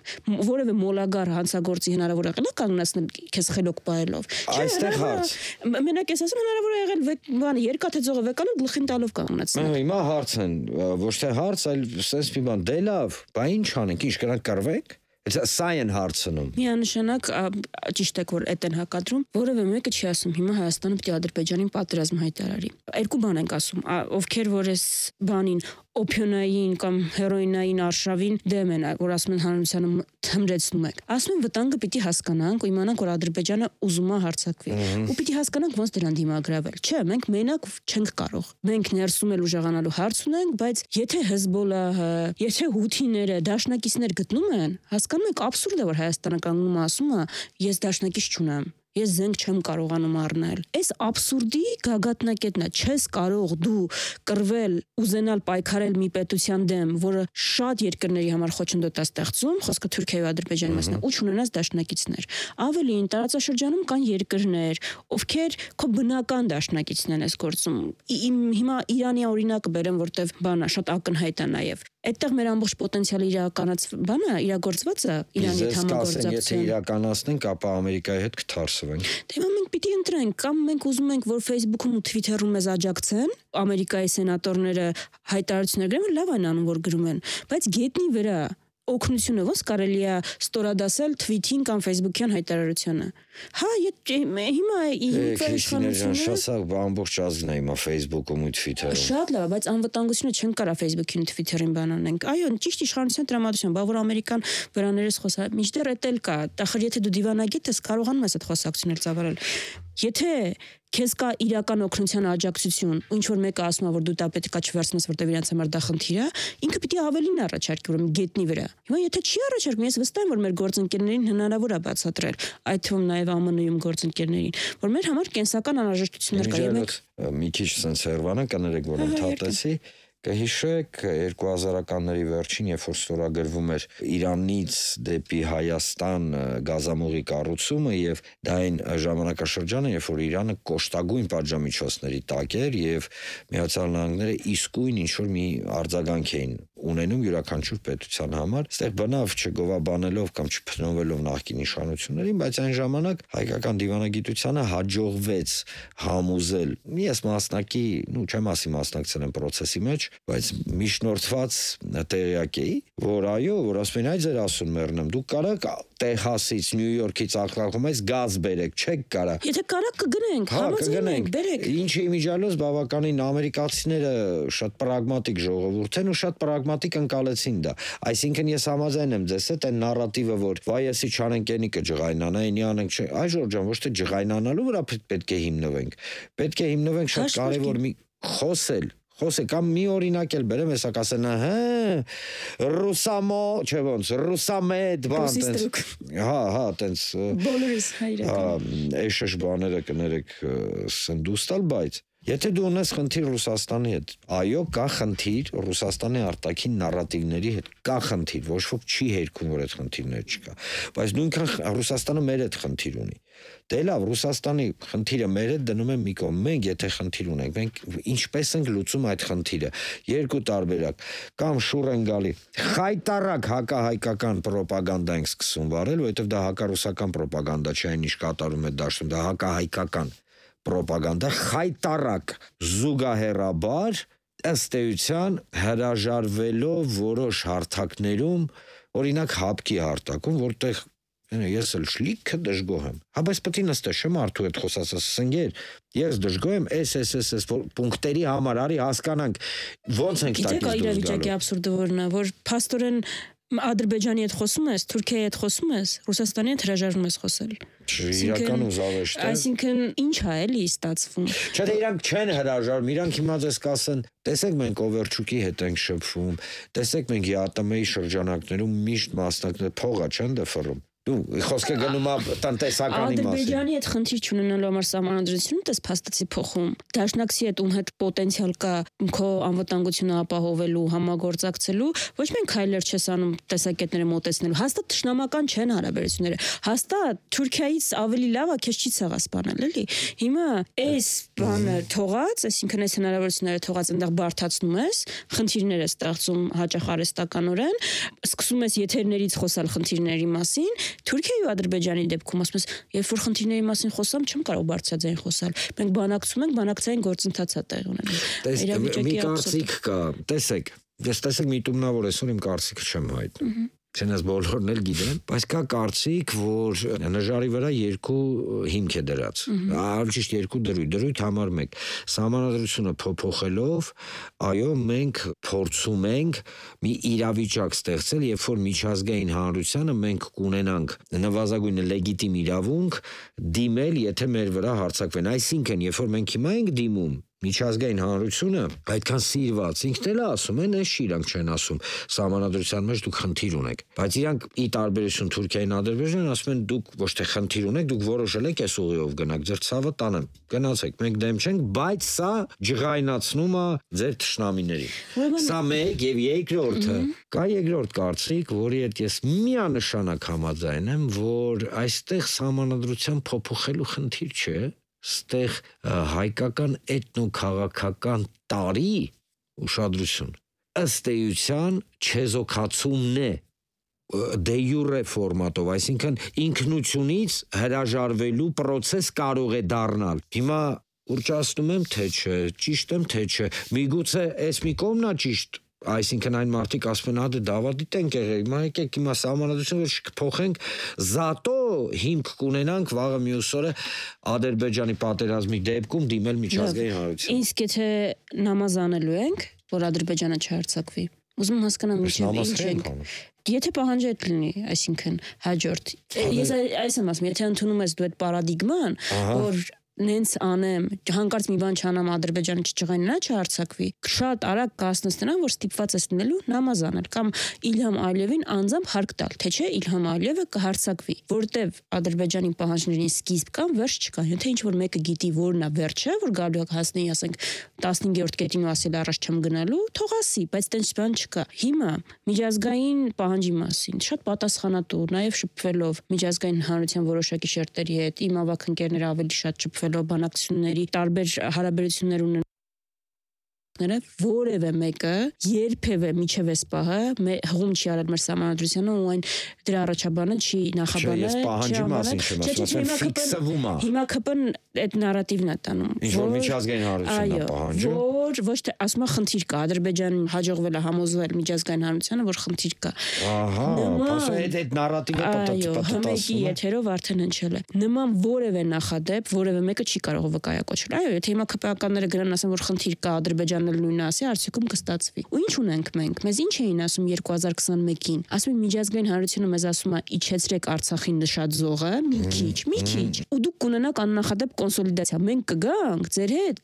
Որևէ մոլագար հանցագործի հնարավոր է կանգնեցնել քեզ խելոք պայելով։ Այստեղ հարց։ Մենակ ես ասում հնարավոր է եղել բանը երկաթե ձողը վեկանալ գլխին տալով կանգնեցնել։ Հիմա հարց են, ոչ թե հարց, այլ sense մի բան, դե լավ, բա ինչ անենք, ինչ կրանք կռվենք։ Սա են հարցնում։ Միանշանակ ճիշտ է, որ այդ են հակադրում, որևէ մեկը չի ասում հիմա Հայաստանը պետք է Ադրբեջանին պատերազմ հայտարարի։ Երկու բան ենք ասում, ովքեր որ այս բանին օփիոնային կամ հերոինային արշավին դեմ են, որ ասում են հանրությանը թմրեցնում եք։ Ասում են վտանգը պիտի հասկանանք ու իմանանք, որ Ադրբեջանը ուզում է հարձակվի։ Ու պիտի հասկանանք ոնց դրան դիմագրավել։ Չէ, մենք մենակ չենք կարող։ Մենք ներսում էլ ուժեղանալու հարց ունենք, բայց եթե Հեզբոլահը, եթե հութիները դաշնակիցներ գտնում են, հասկանում եք աբսուրդ է, որ Հայաստանը կանգնում է ասում է, ես դաշնակից չունեմ։ ես զենք չեմ կարողանում առնել։ Այս աբսուրդի գագաթնակետն է, չես կարող դու կռվել, ուզենալ պայքարել մի պետության դեմ, որը շատ երկրների համար խոչընդոտ է ստեղծում, խոսքը Թուրքիայի ու Ադրբեջանի մասն է, ու չունենաս դաշնակիցներ։ Ավելին, տարածաշրջանում կան երկրներ, ովքեր քո բնական դաշնակիցն են այս գործում։ Հիմա Իրանի օրինակը բերեմ, որտեվ բանա շատ ակնհայտ է նաև։ Այդտեղ մեր ամբողջ պոտենցիալը իրականաց բանը իրագործված է Իրանի հետ համագործակցություն։ Եթե իրականացնենք, ապա Ամերիկայի հետ կթարսվենք։ Դե մենք պիտի ընտրենք, կամ մենք ուզում ենք, որ Facebook-ում ու Twitter-ում մեզ աջակցեն, Ամերիկայի սենատորները հայտարարություններ գրեն, լավ են անում, որ գրում են, բայց գետնի վրա օգնությունը ոնց կարելի է ստորադասել թվիթին կամ ֆեյսբուքյան հայտարարությանը։ Հա, հիմա իշխանությունը շատ ամբողջ ազգն է հիմա ֆեյսբուքում ու Twitter-ում։ Շատ լավ, բայց անվտանգությունը չեն կարա ֆեյսբուքին ու Twitter-ին բան անենք։ Այո, ճիշտ իշխանության տրամադրություն, բա որ Ամերիկան վրաներս խոսա, մինչդեռ էդ էլ կա։ Տախր եթե դու դիվանագետ ես, կարողանում ես այդ խոսակցություններ ծավալել։ Եթե քեզ կա իրական օգնության աջակցություն, ու ինչ որ մեկը ասում է, որ դու դա պետք է չվերցնես, որտեղ իրանց համար դա խնդիր է, ինքը պիտի ավելին առաջարկի, ուրեմն գետնի վրա։ Հիմա եթե չի առաջարկում, ես վստահ եմ, որ մեր գործընկերներին հնարավոր է բացատրել, այդ թվում նաև Ամն Ու-ում գործընկերներին, որ մեր համար կենսական անհրաժեշտություններ կա, եւ մենք մի քիչ sense հերվանը կներեք, որ ընդհատեցի։ Կհիշեք երկու հազարականների վերջին, երբ որ ստորագրվում էր Իրանից դեպի Հայաստան գազամուղի կառուցումը, եւ դա այն ժամանակաշրջանը, երբ որ Իրանը կոշտագույն պատժամիջոցների տակ էր եւ Միացյալ Նահանգները իսկույն ինչ որ մի արձագանք էին ունենում յուրաքանչյուր պետության համար, այստեղ բնավ չգովաբանելով կամ չփնովելով նախկին իշխանություններին, բայց այն ժամանակ հայկական դիվանագիտությանը հաջողվեց համոզել, ես մասնակի, ну չեմ ասի մասնակցել եմ process-ի մեջ, բայց միջնորդված տեղյակ էի, որ այո, որ ասում են, այ ձեր ասուն մեռնեմ, դուք կարաք Տեխասից, Նյու Յորքից աղքաղումից գազ բերեք, չեք կարա։ Եթե կարաք կգնենք, համաձայնենք, բերեք։ Ինչի իմիջիալոց բավականին ամերիկացիները շատ պրագմատիկ ժողովուրդ են ու շատ պրագմատիկ ընկալեցին դա։ Այսինքն ես համաձայն եմ ձեզ հետ այն նարատիվը, որ վայ էսի չանենք ենիկը ջղայնանա, այնի անենք չէ։ Այ Ժորժան, ոչ թե ջղայնանալու վրա պետք է հիմնվենք։ Պետք է հիմնվենք շատ կարևոր մի խոսել Խոսե կամ մի օրինակ էլ բերեմ, հեսա կասեն, հա, ռուսամո, չէ ոնց, ռուսամեդ բան, տենց, հա, հա, տենց, բոլորիս հայրական, էշշ բաները կներեք սնդուստալ, բայց եթե դու ունես խնդիր Ռուսաստանի հետ, այո, կա խնդիր Ռուսաստանի արտաքին նարատիվների հետ, կա խնդիր, ոչ ոք չի հերքում, որ այդ խնդիրներ չկա, բայց նույնքան Ռուսաստանը մեր հետ խնդիր ունի։ Դե լավ, Ռուսաստանի խնդիրը մեր հետ դնում են մի կողմ, մենք եթե խնդիր ունենք, մենք ինչպես ենք լուծում այդ խնդիրը, երկու տարբերակ, կամ շուռ են գալի, խայտարակ հակահայկական պրոպագանդա ենք սկսում վարել, որովհետև դա հակառուսական պրոպագանդա չէ, այն ինչ կատարում է դաշտում, դա հակահայկական պրոպագանդա, խայտարակ զուգահեռաբար ըստ էության հրաժարվելով որոշ հարթակներում, օրինակ հապկի հարթակում, որտեղ ես էլ շլիքը դժգոհ եմ։ Հա բայց պետք է նստես, չեմ արդու հետ խոսած, ասենք, ես դժգոհ եմ էս էս էս էս պունկտերի համար, արի հասկանանք ոնց ենք տակից դուրս գալու։ Գիտեք, իրավիճակի աբսուրդը որն է, որ փաստորեն Ադրբեջանի հետ խոսում ես, Թուրքիայի հետ խոսում ես, Ռուսաստանի հետ հրաժարվում ես խոսել։ Իրական ուզավեշտ է։ Այսինքն ինչ է էլի ստացվում։ Չէ, դե իրանք չեն հրաժարվում, իրանք հիմա ձեզ կասեն, տեսեք մենք Օվերչուկի հետ ենք շփվում, տեսեք մենք ԵԱՏՄ-ի շրջանակներում միշտ մասնակցել փողա չեն դεφռում։ Դու խոսքը գնում է տնտեսականի մասին։ Ադրբեջանի հետ խնդիր չունենալու համար սահմանադրությունը դες փաստացի փոխում։ Դաշնակցի հետ ում հետ պոտենցիալ կա քո անվտանգությունը ապահովելու, համագործակցելու, ոչ միայն քայլեր չես անում տեսակետները մոտեցնելու, հաստատ թշնամական չեն հարաբերությունները։ Հաստատ Թուրքիայից ավելի լավ է քեզ չի ցեղասպանել, էլի։ Հիմա այս բանը թողած, այսինքն այս հնարավորությունները թողած այնտեղ բարթացնում ես, խնդիրներ ես ստեղծում հաճախ արհեստականորեն, սկսում ես եթերներից խոսալ խնդիրների մասին։ Թուրքիայի ու Ադրբեջանի դեպքում ասում ես, երբ որ խնդիրների մասին խոսամ, չեմ կարող բարձրաձայն խոսալ։ Մենք բանակցում ենք, բանակցային գործընթաց է տեղի ունենում։ Մի կարծիք կա, տեսեք, ես տեսեք միտումնավոր այսօր իմ կարծիքը չեմ հայտնում։ Չնայած բոլորն էլ գիտեն, բայց կա կարծիք, որ նժարի վրա երկու հիմք է դրած։ Ավելի ճիշտ երկու դրույթ, դրույթ համար մեկ։ Սահմանադրությունը փոփոխելով, այո, մենք փորձում ենք մի իրավիճակ ստեղծել, երբ որ միջազգային հանրությանը մենք կունենանք նվազագույնը լեգիտիմ իրավունք դիմել, եթե մեր վրա հարձակվեն։ Այսինքն, երբ որ մենք հիմա ենք դիմում, միջազգային հանրությունը այդքան սիրված, ինքն էլ ասում են, այս չի իրանք չեն ասում, սահմանադրության մեջ դուք խնդիր ունեք, բայց իրանք ի տարբերություն Թուրքիային, Ադրբեջանին ասում են դուք ոչ թե խնդիր ունեք, դուք որոշել եք այս ուղիով գնաք, ձեր ցավը տանեմ, գնացեք, մենք դեմ չենք, բայց սա ջղայնացնում է ձեր թշնամիներին։ Սա մեկ եւ երկրորդը, կա երկրորդ կարծիք, որի հետ ես միանշանակ համաձայն եմ, որ այստեղ սահմանադրության փոփոխելու խնդիր չէ, ստեղ հայկական էթնոքաղաքական տարի ուշադրություն ըստ էության չեզոքացումն է դե յուրե ֆորմատով, այսինքն ինքնությունից հրաժարվելու process կարող է դառնալ։ Հիմա ուրճացնում եմ թե չէ, ճիշտ եմ թե չէ, միգուցե այս մի կողմն է ճիշտ, այսինքն այն մարդիկ ասում են, ադե դավադիտ ենք եղել, հիմա եկեք հիմա սահմանադրությունը որ չփոխենք, զատո հիմք կունենանք վաղը մյուս օրը Ադրբեջանի պատերազմի դեպքում դիմել միջազգային հանրության։ Իսկ եթե նամազանելու ենք, որ Ադրբեջանը չհարձակվի, ուզում եմ հասկանամ ինչու ինչ ենք։ Եթե պահանջետ լինի, այսինքն հաջորդ։ Ես այս եմ ասում, եթե ընդունում ես դու այդ պարադիգման, որ նենց անեմ, հանկարծ մի բան չանամ Ադրբեջանը չճղայնա, չհարձակվի, շատ արագ կհասնես նրան, որ ստիպված ես լինելու նամազ անել կամ Իլհամ Ալիևին անձամբ հարկ տալ, թե չէ Իլհամ Ալիևը կհարձակվի, որտեվ Ադրբեջանի պահանջներին սկիզբ կան, վերջ չկա։ Եթե ինչ-որ մեկը գիտի որն է վերջը, որ գալու է հասնի, ասենք տասնհինգերորդ կետին ու ասել առաջ չեմ գնալու, թող ասի, բայց տենց բան չկա։ Հիմա միջազգային պահանջի մասին շատ պատասխանատու, նաև շփվելով միջազգային հանրության որոշակի շերտերի հետ, իմ ավագ ընկերները ավելի շատ շփվելով բանակցությունների տարբեր հարաբերություններ ունեն որևէ մեկը երբևէ միջև այս պահը հղում չի արել մեր սահմանադրությանը ու այն դրա առաջաբանը չի նախաբանել։ Ես պահանջի մասին չեմ ասում, ֆիքսվում է։ Հիմա ԿՊ-ն այդ նարատիվն է տանում։ Ինչ որ միջազգային հանրությունն է պահանջում։ Որ ոչ թե ասում է խնդիր կա, Ադրբեջանին հաջողվել է համոզվել միջազգային հանրությանը, որ խնդիր կա։ Ահա, ասա այդ այդ նարատիվը պատտասում է։ Եթերով արդեն հնչել է։ Նման որևէ նախադեպ, որևէ մեկը չի կարող վկայակոչել։ Այո, եթե հիմա ԿՊ-ականները գրանան ասեն, որ խնդիր կա, Ադրբեջանը նույնը ասի, արդյունքում կստացվի։ Ու ինչ ունենք մենք։ Մեզ ինչ էին ասում երկու հազար քսանմեկին։ Ասում են միջազգային հանրությունը մեզ ասում է իջեցրեք Արցախի նշաձողը, մի քիչ, մի քիչ։ Ու դուք կունենաք աննախադեպ կոնսոլիդացիա։ Մենք կգանք ձեր հետ,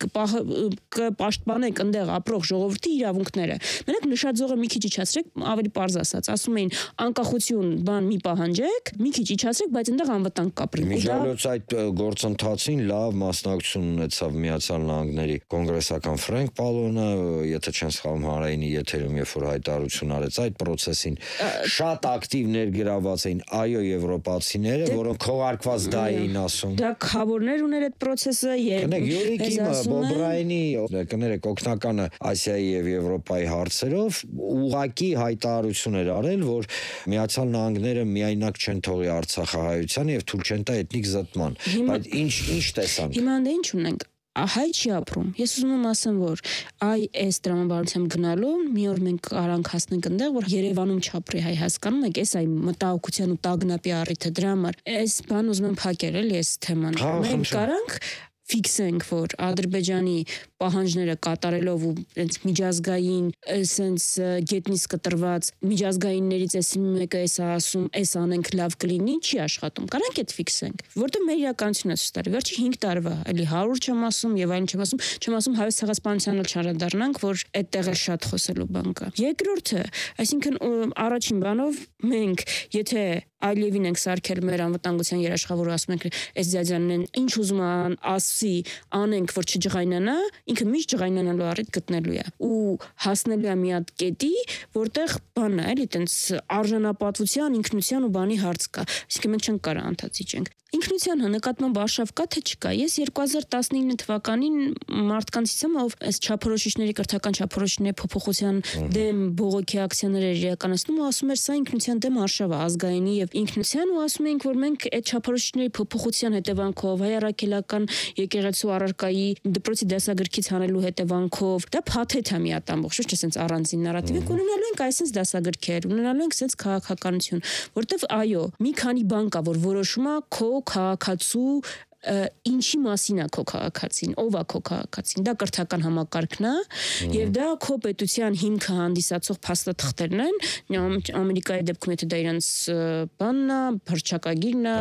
կպաշտպանենք այնտեղ ապրող ժողովրդի իրավունքները։ Մենակ նշաձողը մի քիչ իջացրեք, ավելի պարզ ասած, ասում էին անկախություն բան մի պահանջեք, մի քիչ իջացրեք, բայց այնտեղ անվտանգ կապրի։ Միջազգային այդ գործընթացին լավ մասնակցություն ունեցավ Միացյալ Նահանգների կոնգրեսական Ֆրենկ Պալոնը, եթե չեմ սխալվում հանրայինի եթերում երբ որ հայտարարություն արեց այդ process-ին շատ ակտիվ ներգրավված էին այո եվրոպացիները, որոնք քողարկված դա էին ասում։ Դա խավորներ ուներ այդ process-ը եւ կներեք Յուրիկի Բոբրայինի կներեք օգնականը Ասիայի եւ Եվրոպայի հարցերով ուղակի հայտարարություն էր արել, որ Միացյալ Նահանգները միայնակ չեն թողի Արցախահայությանը եւ թույլ չեն տա էթնիկ զտման, բայց ինչ ինչ տեսանք։ Հիմա դե ինչ ունենք հայ չի ապրում։ Ես ուզում եմ ասեմ, որ այ այս տրամաբանությամբ գնալու մի օր մենք կարանք հասնենք այնտեղ, որ Երևանում չապրի հայ, հասկանում եք, այս այ մտահոգության ու տագնապի առիթը դրա համար։ Այս բան ուզում եմ փակել էլի այս թեման։ Մենք կարանք ֆիքսենք, որ Ադրբեջանի պահանջները կատարելով ու այնց միջազգային այսենց գետնից կտրված միջազգայիններից էս մեկը էս ասում, էս անենք լավ կլինի, չի աշխատում։ Կարանք այդ ֆիքսենք, որտեղ մեր իրականությունը ցույց տալի։ Վերջի հինգ տարվա, էլի հարյուր չեմ ասում եւ այլն չեմ ասում, չեմ ասում հայոց ցեղասպանությանն էլ չանդրադառնանք, որ այդտեղ է շատ խոսելու բան կա։ Երկրորդը, այսինքն առաջին բանով մենք, եթե Ալիևին ենք սարքել մեր անվտանգության երաշխավորը, ասում ենք այս ձյաձյանն ինչ ուզում ասի, անենք, որ չջղայնանա, ինքը միշտ ջղայնանալու առիթ գտնելու է ու հասնելու է մի հատ կետի, որտեղ բանն է, էլի տենց արժանապատվության, ինքնության ու բանի հարց կա։ Այսինքն մենք չենք կարող անդացիջենք։ Ինքնության նկատմամբ արշավ կա թե չկա։ Ես երկու հազար տասնինը թվականին մարդկանցից եմ, ով այս չափորոշիչների կրթական չափորոշիչների փոփոխության դեմ բողոքի ակցիաներ էր իրականացնում ու ասում էր, սա ինքնության դեմ արշավ է, ազգայինի եւ ինքնության, ու ասում ենք, որ մենք այդ չափորոշիչների փոփոխության հետևանքով հայ առաքելական եկեղեցու առարկայի դպրոցի դասագրքից հանելու հետևանքով դա փաթեթ է մի հատ ամբողջ, ոչ թե sense առանձին նարատիվ, ունենալու ենք այսպես դասագրքեր, ունենալու ենք sense քաղաքականություն, որտեվ այո, մի քանի բան կա, որ որոշում է քո քաղաքացու ինչի մասին է քո քաղաքացին, ով է քո քաղաքացին, դա կրթական համակարգն է եւ դա քո պետության հիմքը հանդիսացող փաստաթղթերն են, Ամերիկայի դեպքում եթե դա իրենց բանն է, հռչակագիրն է,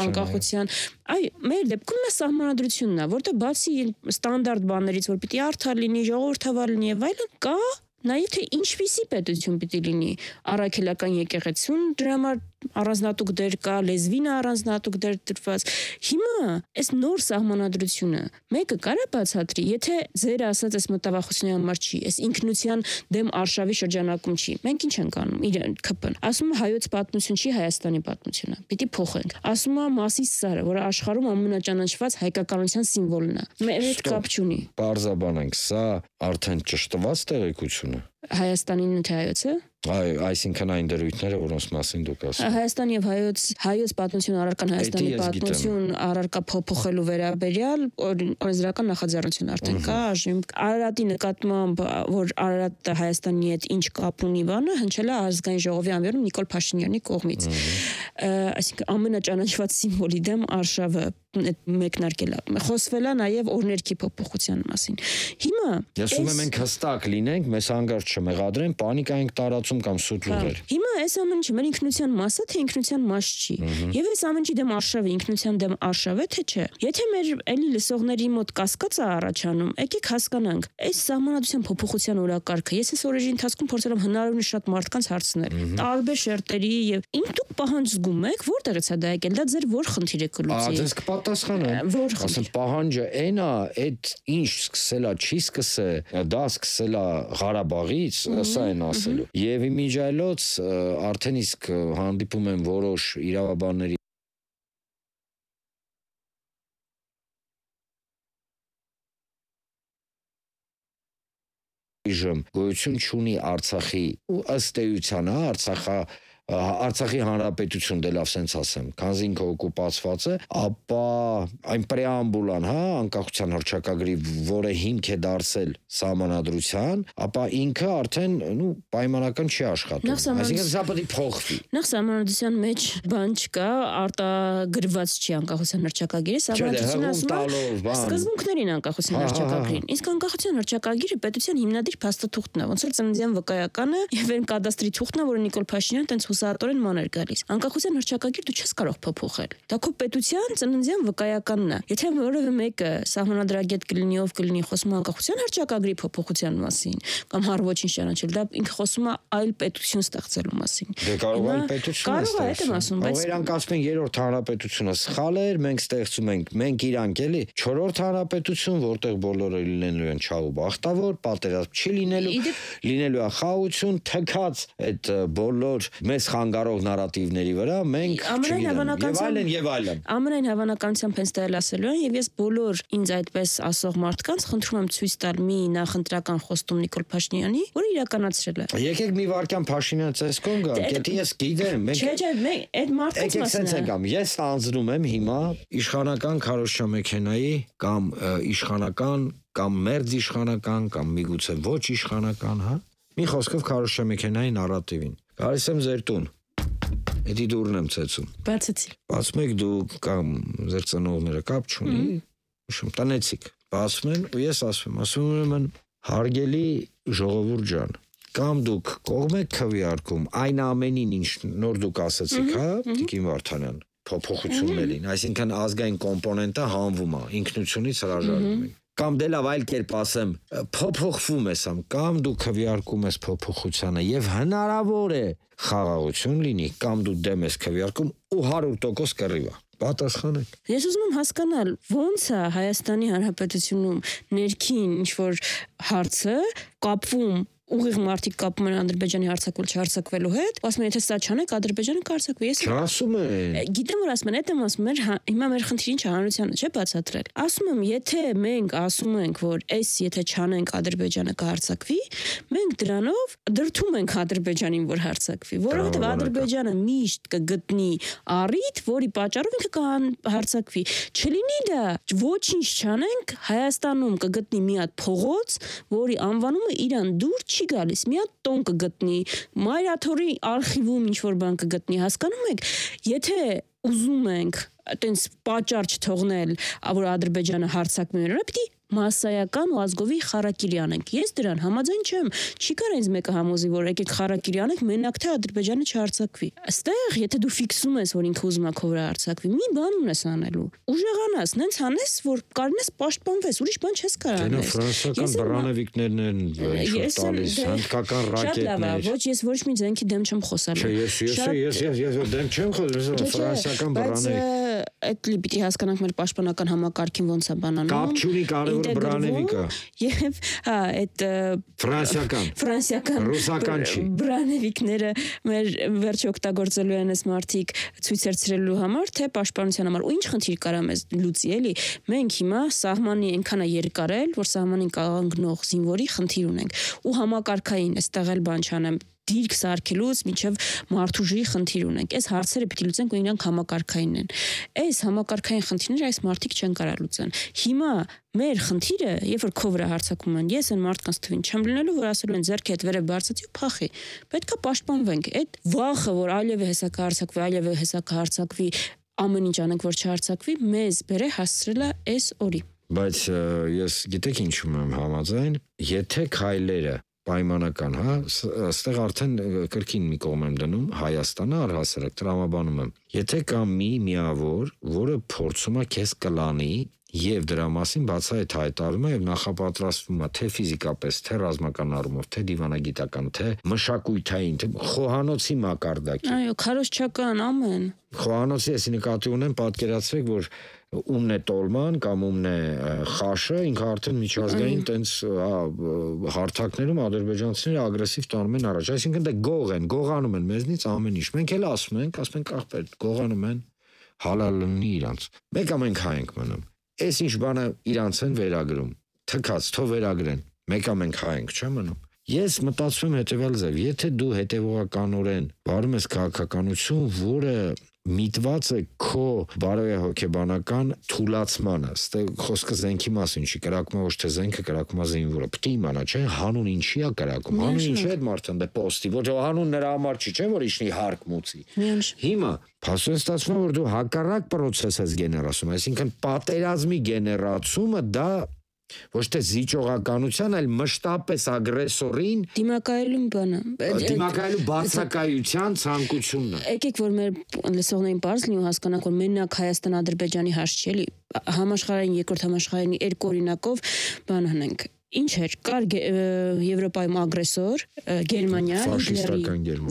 անկախության, այ մեր դեպքում է սահմանադրությունն է, որտեղ բացի ստանդարտ բաներից, որ պիտի արդար լինի, ժողովրդավար լինի եւ այլն, կա նաեւ թե ինչպիսի պետություն պիտի լինի, առաքելական եկեղեցուն դրա համար առանձնատուկ դեր կա, լեզվին առանձնատուկ դեր դրված։ Հիմա այս նոր սահմանադրությունը մեկը կարա բացատրի, եթե ձեր ասած այս մտավախությունների համար չի, այս ինքնության դեմ արշավի շրջանակում չի։ Մենք ինչ ենք անում իրեն ՔՊ-ն։ Ասում է հայոց պատմություն չի Հայաստանի պատմությունը։ Պիտի փոխենք։ Ասում է Մասիս սարը, որը աշխարհում ամենաճանաչված հայկականության սիմվոլն է։ Մեր հետ կապ չունի։ Պարզաբանենք, սա արդեն ճշտված տեղեկություն է։ Հայաստանին թե հայոցը։ Այ, այսինքն այն դրույթները, որոնց մասին դուք ասում եք։ Հայաստան եւ հայոց հայոց պատմություն առարկան Հայաստանի պատմություն առարկա փոփոխելու վերաբերյալ օրենսդրական նախաձեռնություն արդեն կա, այժմ Արարատի նկատմամբ, որ Արարատը Հայաստանի հետ ինչ կապ ունի բանը, հնչել է ազգային ժողովի անվերում Նիկոլ Փաշինյանի կողմից։ Այսինքն ամենաճանաչված սիմվոլի դեմ արշավը մեկնարկել է։ Խոսվել է նաև օրներքի փոփոխության մասին։ Հիմա ասում եմ մենք հստակ լինենք, մեզ հանգարց չմեղադրեն, պանիկա ենք տարածում կամ սուտ լուրեր։ Հիմա այս ամեն ինչը մեր ինքնության մասը թե ինքնության մաս չի։ Եվ այս ամեն ինչի դեմ արշավը ինքնության դեմ արշավ է թե չէ։ Եթե մեր էլի լսողների մոտ կասկած է առաջանում, եկեք հասկանանք, այս սահմանադրության փոփոխության օրակարգը ես այս օրերի ընթացքում փորձել եմ հնարավորինս շատ մարդկանց հարցնել, տարբեր շերտերի եւ ինչ դուք պահանջում եք, որտեղից է դա եկել, դա ձեր որ խնդիր է կլուծի։ Պատասխանը ասեմ պահանջը այն է, այդ ինչ սկսելա չի սկսե, դա սկսելա Ղարաբաղից, սա են ասելու։ Եվ իմիջայլոց արդեն իսկ հանդիպում են որոշ իրավաբանների իժմ գոյություն չունի Արցախի ու ըստ էության Արցախա Արցախի հանրապետություն դե լավ սենց ասեմ, քանզի ինքը օկուպացված է, ապա այն պրեամբուլան, հա, անկախության հռչակագրի, որը հիմք է դարձել սահմանադրության, ապա ինքը արդեն, նու, պայմանական չի աշխատում։ Այսինքն սա պետք է փոխվի։ Նախ սահմանադրության մեջ բան չկա, արտագրված չի անկախության հռչակագիրը, սահմանադրությունը ասում է սկզբունքներին անկախության հռչակագրին։ Իսկ անկախության հռչակագիրը պետության հիմնադիր փաստաթուղթն է, ոնց որ ծննդյան վկայականը եւ այն կադաստրի թուղթն է, որը Նիկոլ Փաշինյանը տենց հուսահատորեն մաներ գալիս։ Անկախության հռչակագիր դու չես կարող փոփոխել։ Դա քո պետության ծննդյան վկայականն է։ Եթե որևէ մեկը սահմանադրագետ կլինի, ով կլինի խոսում անկախության հռչակագրի փոփոխության մասին, կամ հար ոչինչ ճանաչել, դա ինքը խոսում է այլ պետություն ստեղծելու մասին։ Դե կարող է այլ պետություն կարող է, դա ասում, բայց իրանք ասում են երրորդ հանրապետությունը սխալ էր, մենք ստեղծում ենք, մենք իրանք էլի չորրորդ հանրապետություն, որտեղ բոլորը լինելու են չաղ ու բախտավոր, պատերազմ չի լինելու, լինելու է խաղաղություն, թքած այդ բոլոր մեզ խանգարող նարատիվների վրա մենք եւ այլն եւ այլն։ Ամենայն հավանականությամբ հենց դա էլ ասելու են եւ ես բոլոր ինձ այդպես ասող մարդկանց խնդրում եմ ցույց տալ մի նախընտրական խոստում Նիկոլ Փաշինյանի, որը իրականացրել է։ Եկեք մի վարքյան Փաշինյան ցեսկոն գա, եթե ես գիտեմ, մենք Չէ, չէ, մենք այդ մարդկանց մասն է։ Ես անձնում եմ հիմա իշխանական քարոզչամեքենայի կամ իշխանական կամ մերձ իշխանական կամ միգուցե ոչ իշխանական, հա։ Մի խոսքով քարոզչամեքենայի նարատիվին։ Գալիս եմ ձեր տուն։ Էդի դուրն եմ ցեցում։ Բացեցի։ Բացում եք դու կամ ձեր ծնողները կապ չունի, ուշում տնեցիք։ Բացում են ու ես ասում եմ, ասում եմ հարգելի ժողովուրդ ջան, կամ դուք կողմ եք քվեարկում այն ամենին, ինչ նոր դուք ասացիք, հա, Տիկին Վարդանյան, փոփոխություններին, այսինքն ազգային կոմպոնենտը հանվում է, ինքնությունից հրաժարվում ենք։ Կամ դե լավ այլ կերպ ասեմ, փոփոխվում ես ամ, կամ դու քվեարկում ես փոփոխությանը եւ հնարավոր է խաղաղություն լինի, կամ դու դեմ ես քվեարկում ու հարյուր տոկոս կռիվա։ Պատասխանեք։ Ես ուզում եմ հասկանալ, ոնց է Հայաստանի Հանրապետությունում ներքին ինչ որ հարցը կապվում ուղիղ մարդիկ կապում են Ադրբեջանի հարձակվել չհարձակվելու հետ, ասում են եթե սա չանեք Ադրբեջանը կհարձակվի։ Ես ասում եմ։ Գիտեմ որ ասում են, այդ եմ ասում եմ, հիմա մեր խնդիրը ինչ է, հանրությանը չէ բացատրել։ Ասում եմ, եթե մենք ասում ենք, որ այս եթե չանենք Ադրբեջանը կհարձակվի, մենք դրանով դրթում ենք Ադրբեջանին, որ հարձակվի, որովհետև Ադրբեջանը միշտ կգտնի առիթ, որի պատճառով ինքը կհարձակվի։ Չլինի դա ոչինչ չանենք, Հայաստանում կգտնի մի հատ փողոց, որի անվանումը իրան դուր չի գալիս, մի հատ տոն կգտնի, Մայրաթորի արխիվում ինչ որ բան կգտնի, հասկանում եք, եթե ուզում ենք այտենց պատճառ չթողնել, որ Ադրբեջանը հարձակվի մերոնը, պիտի մասսայական ու ազգովի խարակիրի անենք։ Ես դրան համաձայն չեմ։ Չի կարող ինձ մեկը համոզի, որ եկեք խարակիրի անենք, մենակ թե Ադրբեջանը չհարձակվի։ Այստեղ, եթե դու ֆիքսում ես, որ ինքը ուզում է քո վրա հարձակվի, մի բան ունես անելու։ Ուժեղանաս, նենց անես, որ կարնես պաշտպանվես, ուրիշ բան չես կարող անել։ Ֆրանսիական բռնավիկներն են ինչ տալիս, հնդկական ռակետներ։ Ոչ, ես ոչ մի ձենքի դեմ չեմ խոսալու։ Չէ, ես ես ես ես դեմ չեմ խոսում, ֆրանսիական բռնավիկ։ Այդ լի պիտի հասկանանք մեր պաշտպանական համակարգին ոնց է բանանում։ Կապ չունի կարևոր բռնավիկը։ Եվ հա, այդ ֆրանսիական ֆրանսիական ռուսական չի։ Բռնավիկները մեր վերջ օգտագործելու են այս մարդիկ ցույց երցրելու համար, թե պաշտպանության համար։ Ու ինչ խնդիր կարա մեզ լուծի, էլի։ Մենք հիմա սահմանի այնքան է երկարել, որ սահմանին կանգնող զինվորի խնդիր ունենք։ Ու համակարգային այստեղ էլ բան չանեմ դիրք սարքելուց մինչև մարդուժի խնդիր ունենք։ Այս հարցերը պիտի լուծենք, ու իրանք համակարգային են։ Այս համակարգային խնդիրները այս մարդիկ չեն կարող լուծեն։ Հիմա մեր խնդիրը, երբ որ քո վրա հարձակում են, ես այն մարդկանց թվին չեմ լինելու, որ ասելու են ձեռքի հետ վերև բարձացի ու փախի։ Պետք է պաշտպանվենք։ Այդ վախը, որ այլևս հեսա կհարձակվի, այլևս հեսա կհարձակվի, ամեն ինչ անենք, որ չհարձակվի, մեզ բերե հասցրել է այս օրի։ Բայց ես գիտեք ինչու եմ համաձայն, եթե քայլերը պայմանական, հա, այստեղ արդեն կրկին մի կողմ եմ դնում, Հայաստանը առհասարակ տրամաբանում եմ։ Եթե կա մի միավոր, որը փորձում է քեզ կլանի եւ դրա մասին բացահայտ հայտարարում է եւ նախապատրաստվում է թե ֆիզիկապես, թե ռազմական առումով, թե դիվանագիտական, թե մշակութային, թե խոհանոցի մակարդակի։ Այո, քարոզչական ամեն։ Խոհանոցի էսի նկատի ունեմ, պատկերացրեք, որ ումն է տոլման կամ ումն է խաշը, ինքը արդեն միջազգային տենց հարթակներում ադրբեջանցիները ագրեսիվ տանում են առաջ, այսինքն դե գող են, գողանում են մեզնից ամեն ինչ։ Մենք էլ ասում ենք, ասում ենք ախպեր, գողանում են, հալալ լինի իրանց։ Մեկ ամենք հայ ենք մնում։ Այս ինչ բանը իրանց են վերագրում, թքած, թող վերագրեն, մեկ ամենք հայ ենք, չէ՞ մնում։ Ես մտածում եմ հետևյալ ձև, եթե դու հետևողականորեն վարում ես քաղաքականություն, որը միտված է քո բարոյահոգեբանական թուլացմանը, ստե խոսքը զենքի մասին չի, կրակում է ոչ թե զենքը, կրակում է զինվորը, պետք է իմանա, չէ՞, հանուն ինչի է կրակում, հանուն ինչի է մարդն դե պոստի, ոչ հանուն նրա համար չի, չէ՞ որ իջնի հարկ մուծի։ Հիմա փաստորեն ստացվում է, որ դու հակառակ process ես գեներացում, այսինքն պատերազմի գեներացումը դա ոչ թե զիջողականության, այլ մշտապես ագրեսորին դիմակայելու բանը, դիմակայելու բացակայության ցանկությունն է։ Եկեք որ մեր լսողներին բարձ լինի ու հասկանանք, որ մենակ Հայաստան-Ադրբեջանի հարց չի, էլի համաշխարհային երկրորդ համաշխարհային երկու օրինակով բան հնենք։ Ինչ էր, կար Եվրոպայում ագրեսոր, Գերմանիա,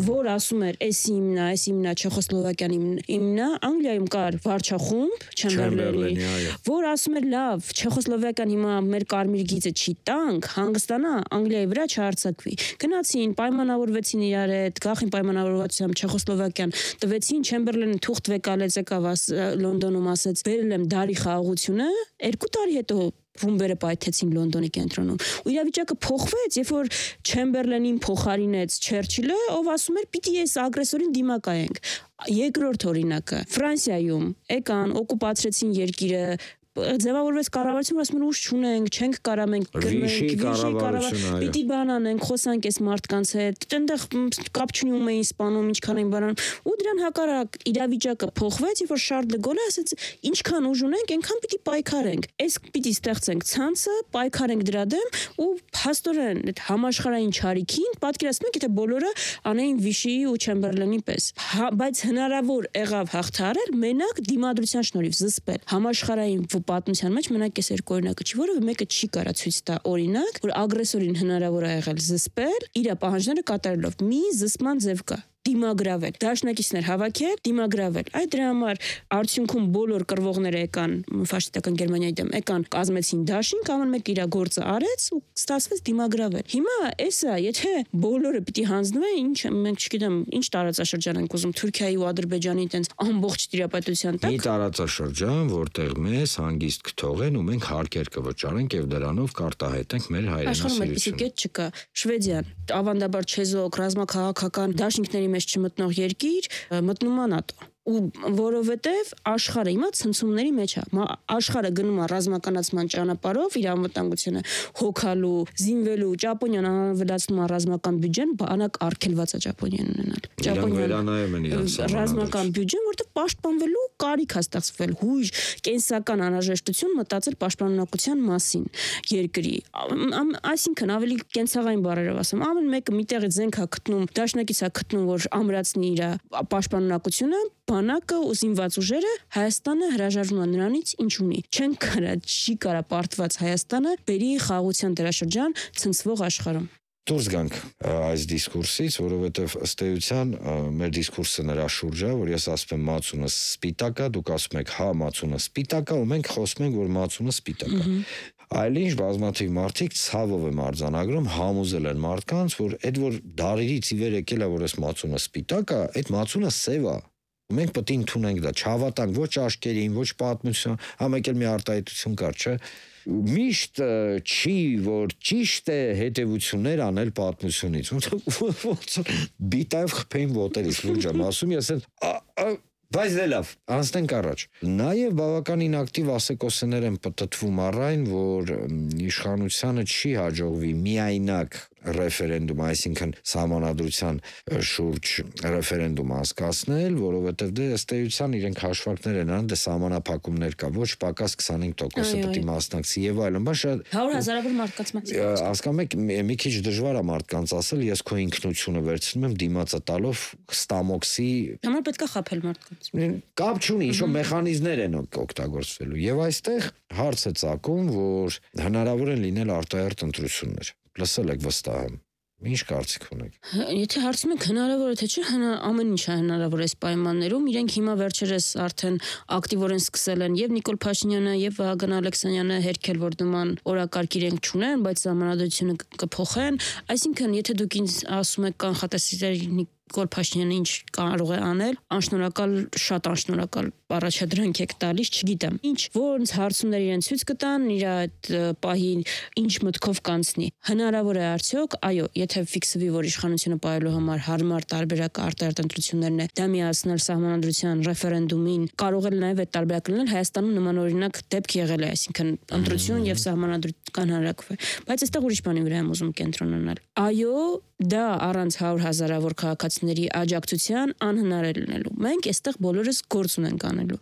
որ ասում էր, էս իմնա, էս իմնա, Չեխոսլովակիան իմնա, Անգլիայում կար վարչախումբ, Չեմբերլենի, որ ասում էր, լավ, Չեխոսլովակիան հիմա մեր կարմիր գիծը չի տանք, հանգստանա, Անգլիայի վրա չհարձակվի։ Գնացին, պայմանավորվեցին իրար հետ, գախին պայմանավորվածությամբ Չեխոսլովակիան տվեցին, Չեմբերլենը թուղթ վեկալեց, եկավ Լոնդոնում ասեց, բերել եմ դարի խաղաղությունը, երկու տարի հետո ռումբերը պայթեցին Լոնդոնի կենտրոնում։ Ու իրավիճակը փոխվեց, երբ որ Չեմբերլենին փոխարինեց Չերչիլը, ով ասում էր՝ պիտի այս ագրեսորին դիմակայենք։ Երկրորդ օրինակը Ֆրանսիայում եկան, օկուպացրեցին երկիրը, ձևավորվեց կառավարություն, ասում են ուժ չունենք, չենք կարա մենք կառավարությունը, պիտի բան անենք, խոսանք այս մարդկանց հետ, այդտեղ կապ չունի ում էին սպանում, ինչքան էին բանանում, ու դրան հակառակ իրավիճակը փոխվեց, երբ որ Շարլ դե Գոլը ասեց, ինչքան ուժ ունենք, այնքան պիտի պայքարենք։ Այս պիտի ստեղծենք ցանցը, պայքարենք դրա դեմ ու փաստորեն այդ համաշխարհային չարիքին պատկերացնում եք, եթե բոլորը անեին Վիշի ու Չեմբերլենի պես, բայց հնարավոր եղավ հաղթահարել մենակ դիմադրության շնորհիվ զսպել համաշխարհային պատմության մեջ մենակ այս երկու օրինակը չի, որովհետեւ մեկը չի կարա ցույց տա օրինակ, որ ագրեսորին հնարավոր է եղել զսպել իր պահանջները կատարելով։ Մի զսպման ձև կա։ Դիմագրավել, դաշնակիցներ հավաքել, դիմագրավել։ Այդ դրա համար արդյունքում բոլոր կռվողները եկան ֆաշիստական Գերմանիայի դեմ, եկան կազմեցին դաշինք, ամեն մեկը իր գործը արեց ու ստացվեց դիմագրավել։ Հիմա էսա, եթե բոլորը պիտի հանձնվեն, ինչ մենք չգիտեմ, ինչ տարածաշրջան ենք ուզում Թուրքիայի ու Ադրբեջանի տենց ամբողջ տիրապետության տակ։ Մի տարածաշրջան, որտեղ մեզ հանգիստ կթողեն ու մենք հարկեր կվճարենք եւ դրանով կարտահայտենք մեր հայրենասիրությունը։ Աշխարհում այդպիսի կետ չկա։ Շվեդիան, ավանդաբար չեզոք, ռազմաքաղաքական դաշինքների մեջ չմտնող երկիր, մտնում է ՆԱՏՕ։ ու որովհետև աշխարհը հիմա ցնցումների մեջ է։ Աշխարհը գնում է ռազմականացման ճանապարհով, իր անվտանգությունը հոգալու, զինվելու, Ճապոնիան ավելացնում է ռազմական բյուջեն, բանակ արգելված է Ճապոնիան ունենալ։ Ճապոնիան ռազմական բյուջեն, որտեղ պաշտպանվելու կարիք է ստեղծվել, հույժ, կենսական անհրաժեշտություն մտածել պաշտպանունակության մասին երկրի։ Այսինքն ավելի կենցաղային բառերով ասեմ, ամեն մեկը միտեղից զենք է գտնում, դաշնակից է գտնում, որ ամրացնի իր պաշտպանունակությունը, բանակը ու զինված ուժերը Հայաստանը հրաժարվում է նրանից, ինչ ունի։ Չեն կարա, չի կարա պարտված Հայաստանը բերի խաղաղության դրաշրջան ցնցվող աշխարհում։ Դուրս գանք այս դիսկուրսից, որովհետև ըստ էության մեր դիսկուրսը նրա շուրջ է, որ ես ասում եմ մածունը սպիտակ է, դուք ասում եք հա մածունը սպիտակ է, ու մենք խոսում ենք, որ մածունը սպիտակ է։ Այլինչ բազմաթիվ մարդիկ ցավով եմ արձանագրում, համոզել են մարդկանց, որ այդ որ դարերից ի վեր եկել է, որ այս մածունը սպիտակ է, այդ մածունը սև է։ Մենք պետք է ընդունենք դա, չհավատանք ոչ աչքերին, ոչ պատմություն, համեք էլ մի արտահայտություն կար, չէ։ Միշտ չի, որ ճիշտ է հետևություններ անել պատմությունից։ Ոնց բիտայով խփեին ոտերից, լուրջ եմ ասում, ես էլ բայց դե լավ, անցնենք առաջ։ Նաև բավականին ակտիվ ասեկոսներ են պտտվում առայն, որ իշխանությանը չի հաջողվի միայնակ ռեֆերենդում, այսինքն սահմանադրության շուրջ ռեֆերենդում անցկացնել, որովհետև դե ըստ էության իրենք հաշվարկներ են անում, դե սահմանափակումներ կա, ոչ պակաս քսանհինգ տոկոսը պետք է մասնակցի եւ այլն, բայց հարյուր հազարավոր մարդկանց մասնակցի։ Հասկանում եք, մի քիչ դժվար է մարդկանց ասել, ես քո ինքնությունը վերցնում եմ դիմացը տալով ստամոքսի։ Համար պետք է խաբել մարդկանց։ Կապ չունի, ինչ-որ մեխանիզմներ են օգտագործվելու։ Եվ այստեղ հարց է ծագում, որ հնարավոր են լինել արտահերթ ընտրություններ։ Լսել եք վստահ եմ։ Ինչ կարծիք ունեք։ Եթե հարցում եք հնարավոր է թե չէ, ամեն ինչ է հնարավոր այս պայմաններում, իրենք հիմա վերջերս արդեն ակտիվորեն սկսել են եւ Նիկոլ Փաշինյանը եւ Վահագն Ալեքսանյանը հերքել, որ նման օրակարգ իրենք չունեն, բայց սահմանադրությունը կփոխեն, այսինքն եթե դուք ինձ ասում եք կանխատեսել Նիկոլ Փաշինյանը ինչ կարող է անել, անշնորհակալ, շատ անշնորհակալ առաջադրանք եք տալիս, չգիտեմ։ Ինչ ոնց հարցումներ իրեն ցույց կտան, իր այդ պահին ինչ մտքով կանցնի։ Հնարավոր է արդյոք, այո, եթե ֆիքսվի, որ իշխանությունը պահելու համար հարմար տարբերակ արտահերթ ընտրություններն է, դա միացնել սահմանադրության ռեֆերենդումին, կարող է նաև այդ տարբերակը լինել Հայաստանում նման օրինակ դեպք եղել է, այսինքն ընտրություն եւ սահմանադրական հանրակրվե։ Բայց այստեղ ուրիշ բանի վրա եմ ուզում կենտրոնանալ։ Այո, դա առանց հարյուր հազարավոր քաղաքացիների աջակցության անհնար է լինելու։ Մենք այստեղ բոլորս գործ ունենք անելու։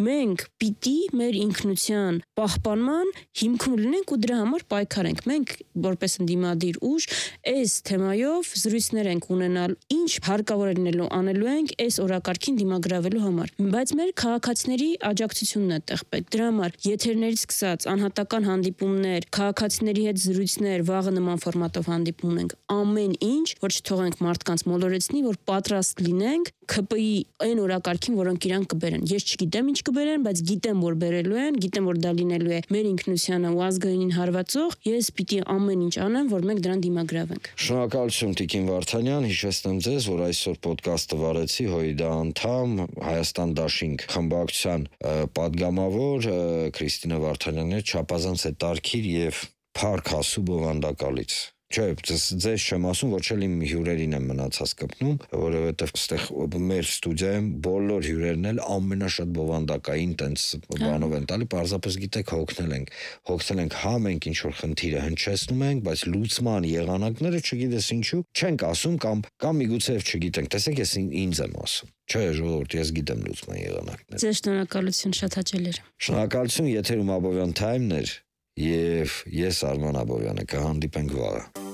Մենք պիտի մեր ինքնության պահպանման հիմքում լինենք ու դրա համար պայքարենք։ Մենք որպես ընդդիմադիր ուժ այս թեմայով զրույցներ ենք ունենալ, ինչ հարկավոր է լինելու անելու ենք այս օրակարգին դիմագրավելու համար։ Բայց մեր քաղաքացիների աջակցությունն է տեղ պետք։ Դրա համար եթերներից սկսած անհատական հանդիպումներ, քաղաքացիների հետ զրույցներ, վաղը նման ֆորմատով հանդիպում ենք, ամեն ինչ, որ չթողենք մարդկանց մոլորեցնի, որ պատրաստ լինենք ՔՊ-ի այն օրակարգին, որոնք իրան կբերեն։ Ես չգիտեմ ինչ կբերեն, բայց գիտեմ, որ բերելու են, գիտեմ, որ դա լինելու է մեր ինքնությանը ու ազգայինին հարվածող, ես պիտի ամեն ինչ անեմ, որ մենք դրան դիմագրավենք։ Շնորհակալություն Տիկին Վարդանյան, հիշեցնեմ ձեզ, որ այսօր ոդկասթը վարեցի ՀՅԴ անդամ, Հայաստան Դաշինք խմբակցության պատգամավոր Քրիստինա Վարդանյանն է, չափազանց է տարքիր եւ փառք ասու բովանդակալից։ Չէ, ձեզ չեմ ասում, ոչ էլ իմ հյուրերին եմ մնացած կպնում, որովհետև այստեղ մեր ստուդիայում բոլոր հյուրերն էլ ամենաշատ բովանդակային տենց բանով են տալի, պարզապես գիտեք հոգնել ենք, հոգնել ենք հա մենք ինչ որ խնդիրը հնչեցնում ենք, բայց լուծման եղանակները չգիտես ինչու չենք ասում կամ կամ միգուցե չգիտենք, տեսեք ես ինձ եմ ասում։ Չէ, ժողովուրդ, ես գիտեմ լուծման եղանակները։ Ձեզ շնորհակալություն, շատ հաճելի էր։ Շնորհակալություն, եթերում Աբովյան Թայմն էր։ Եվ ես Արման Աբովյանը կհանդիպենք վաղը։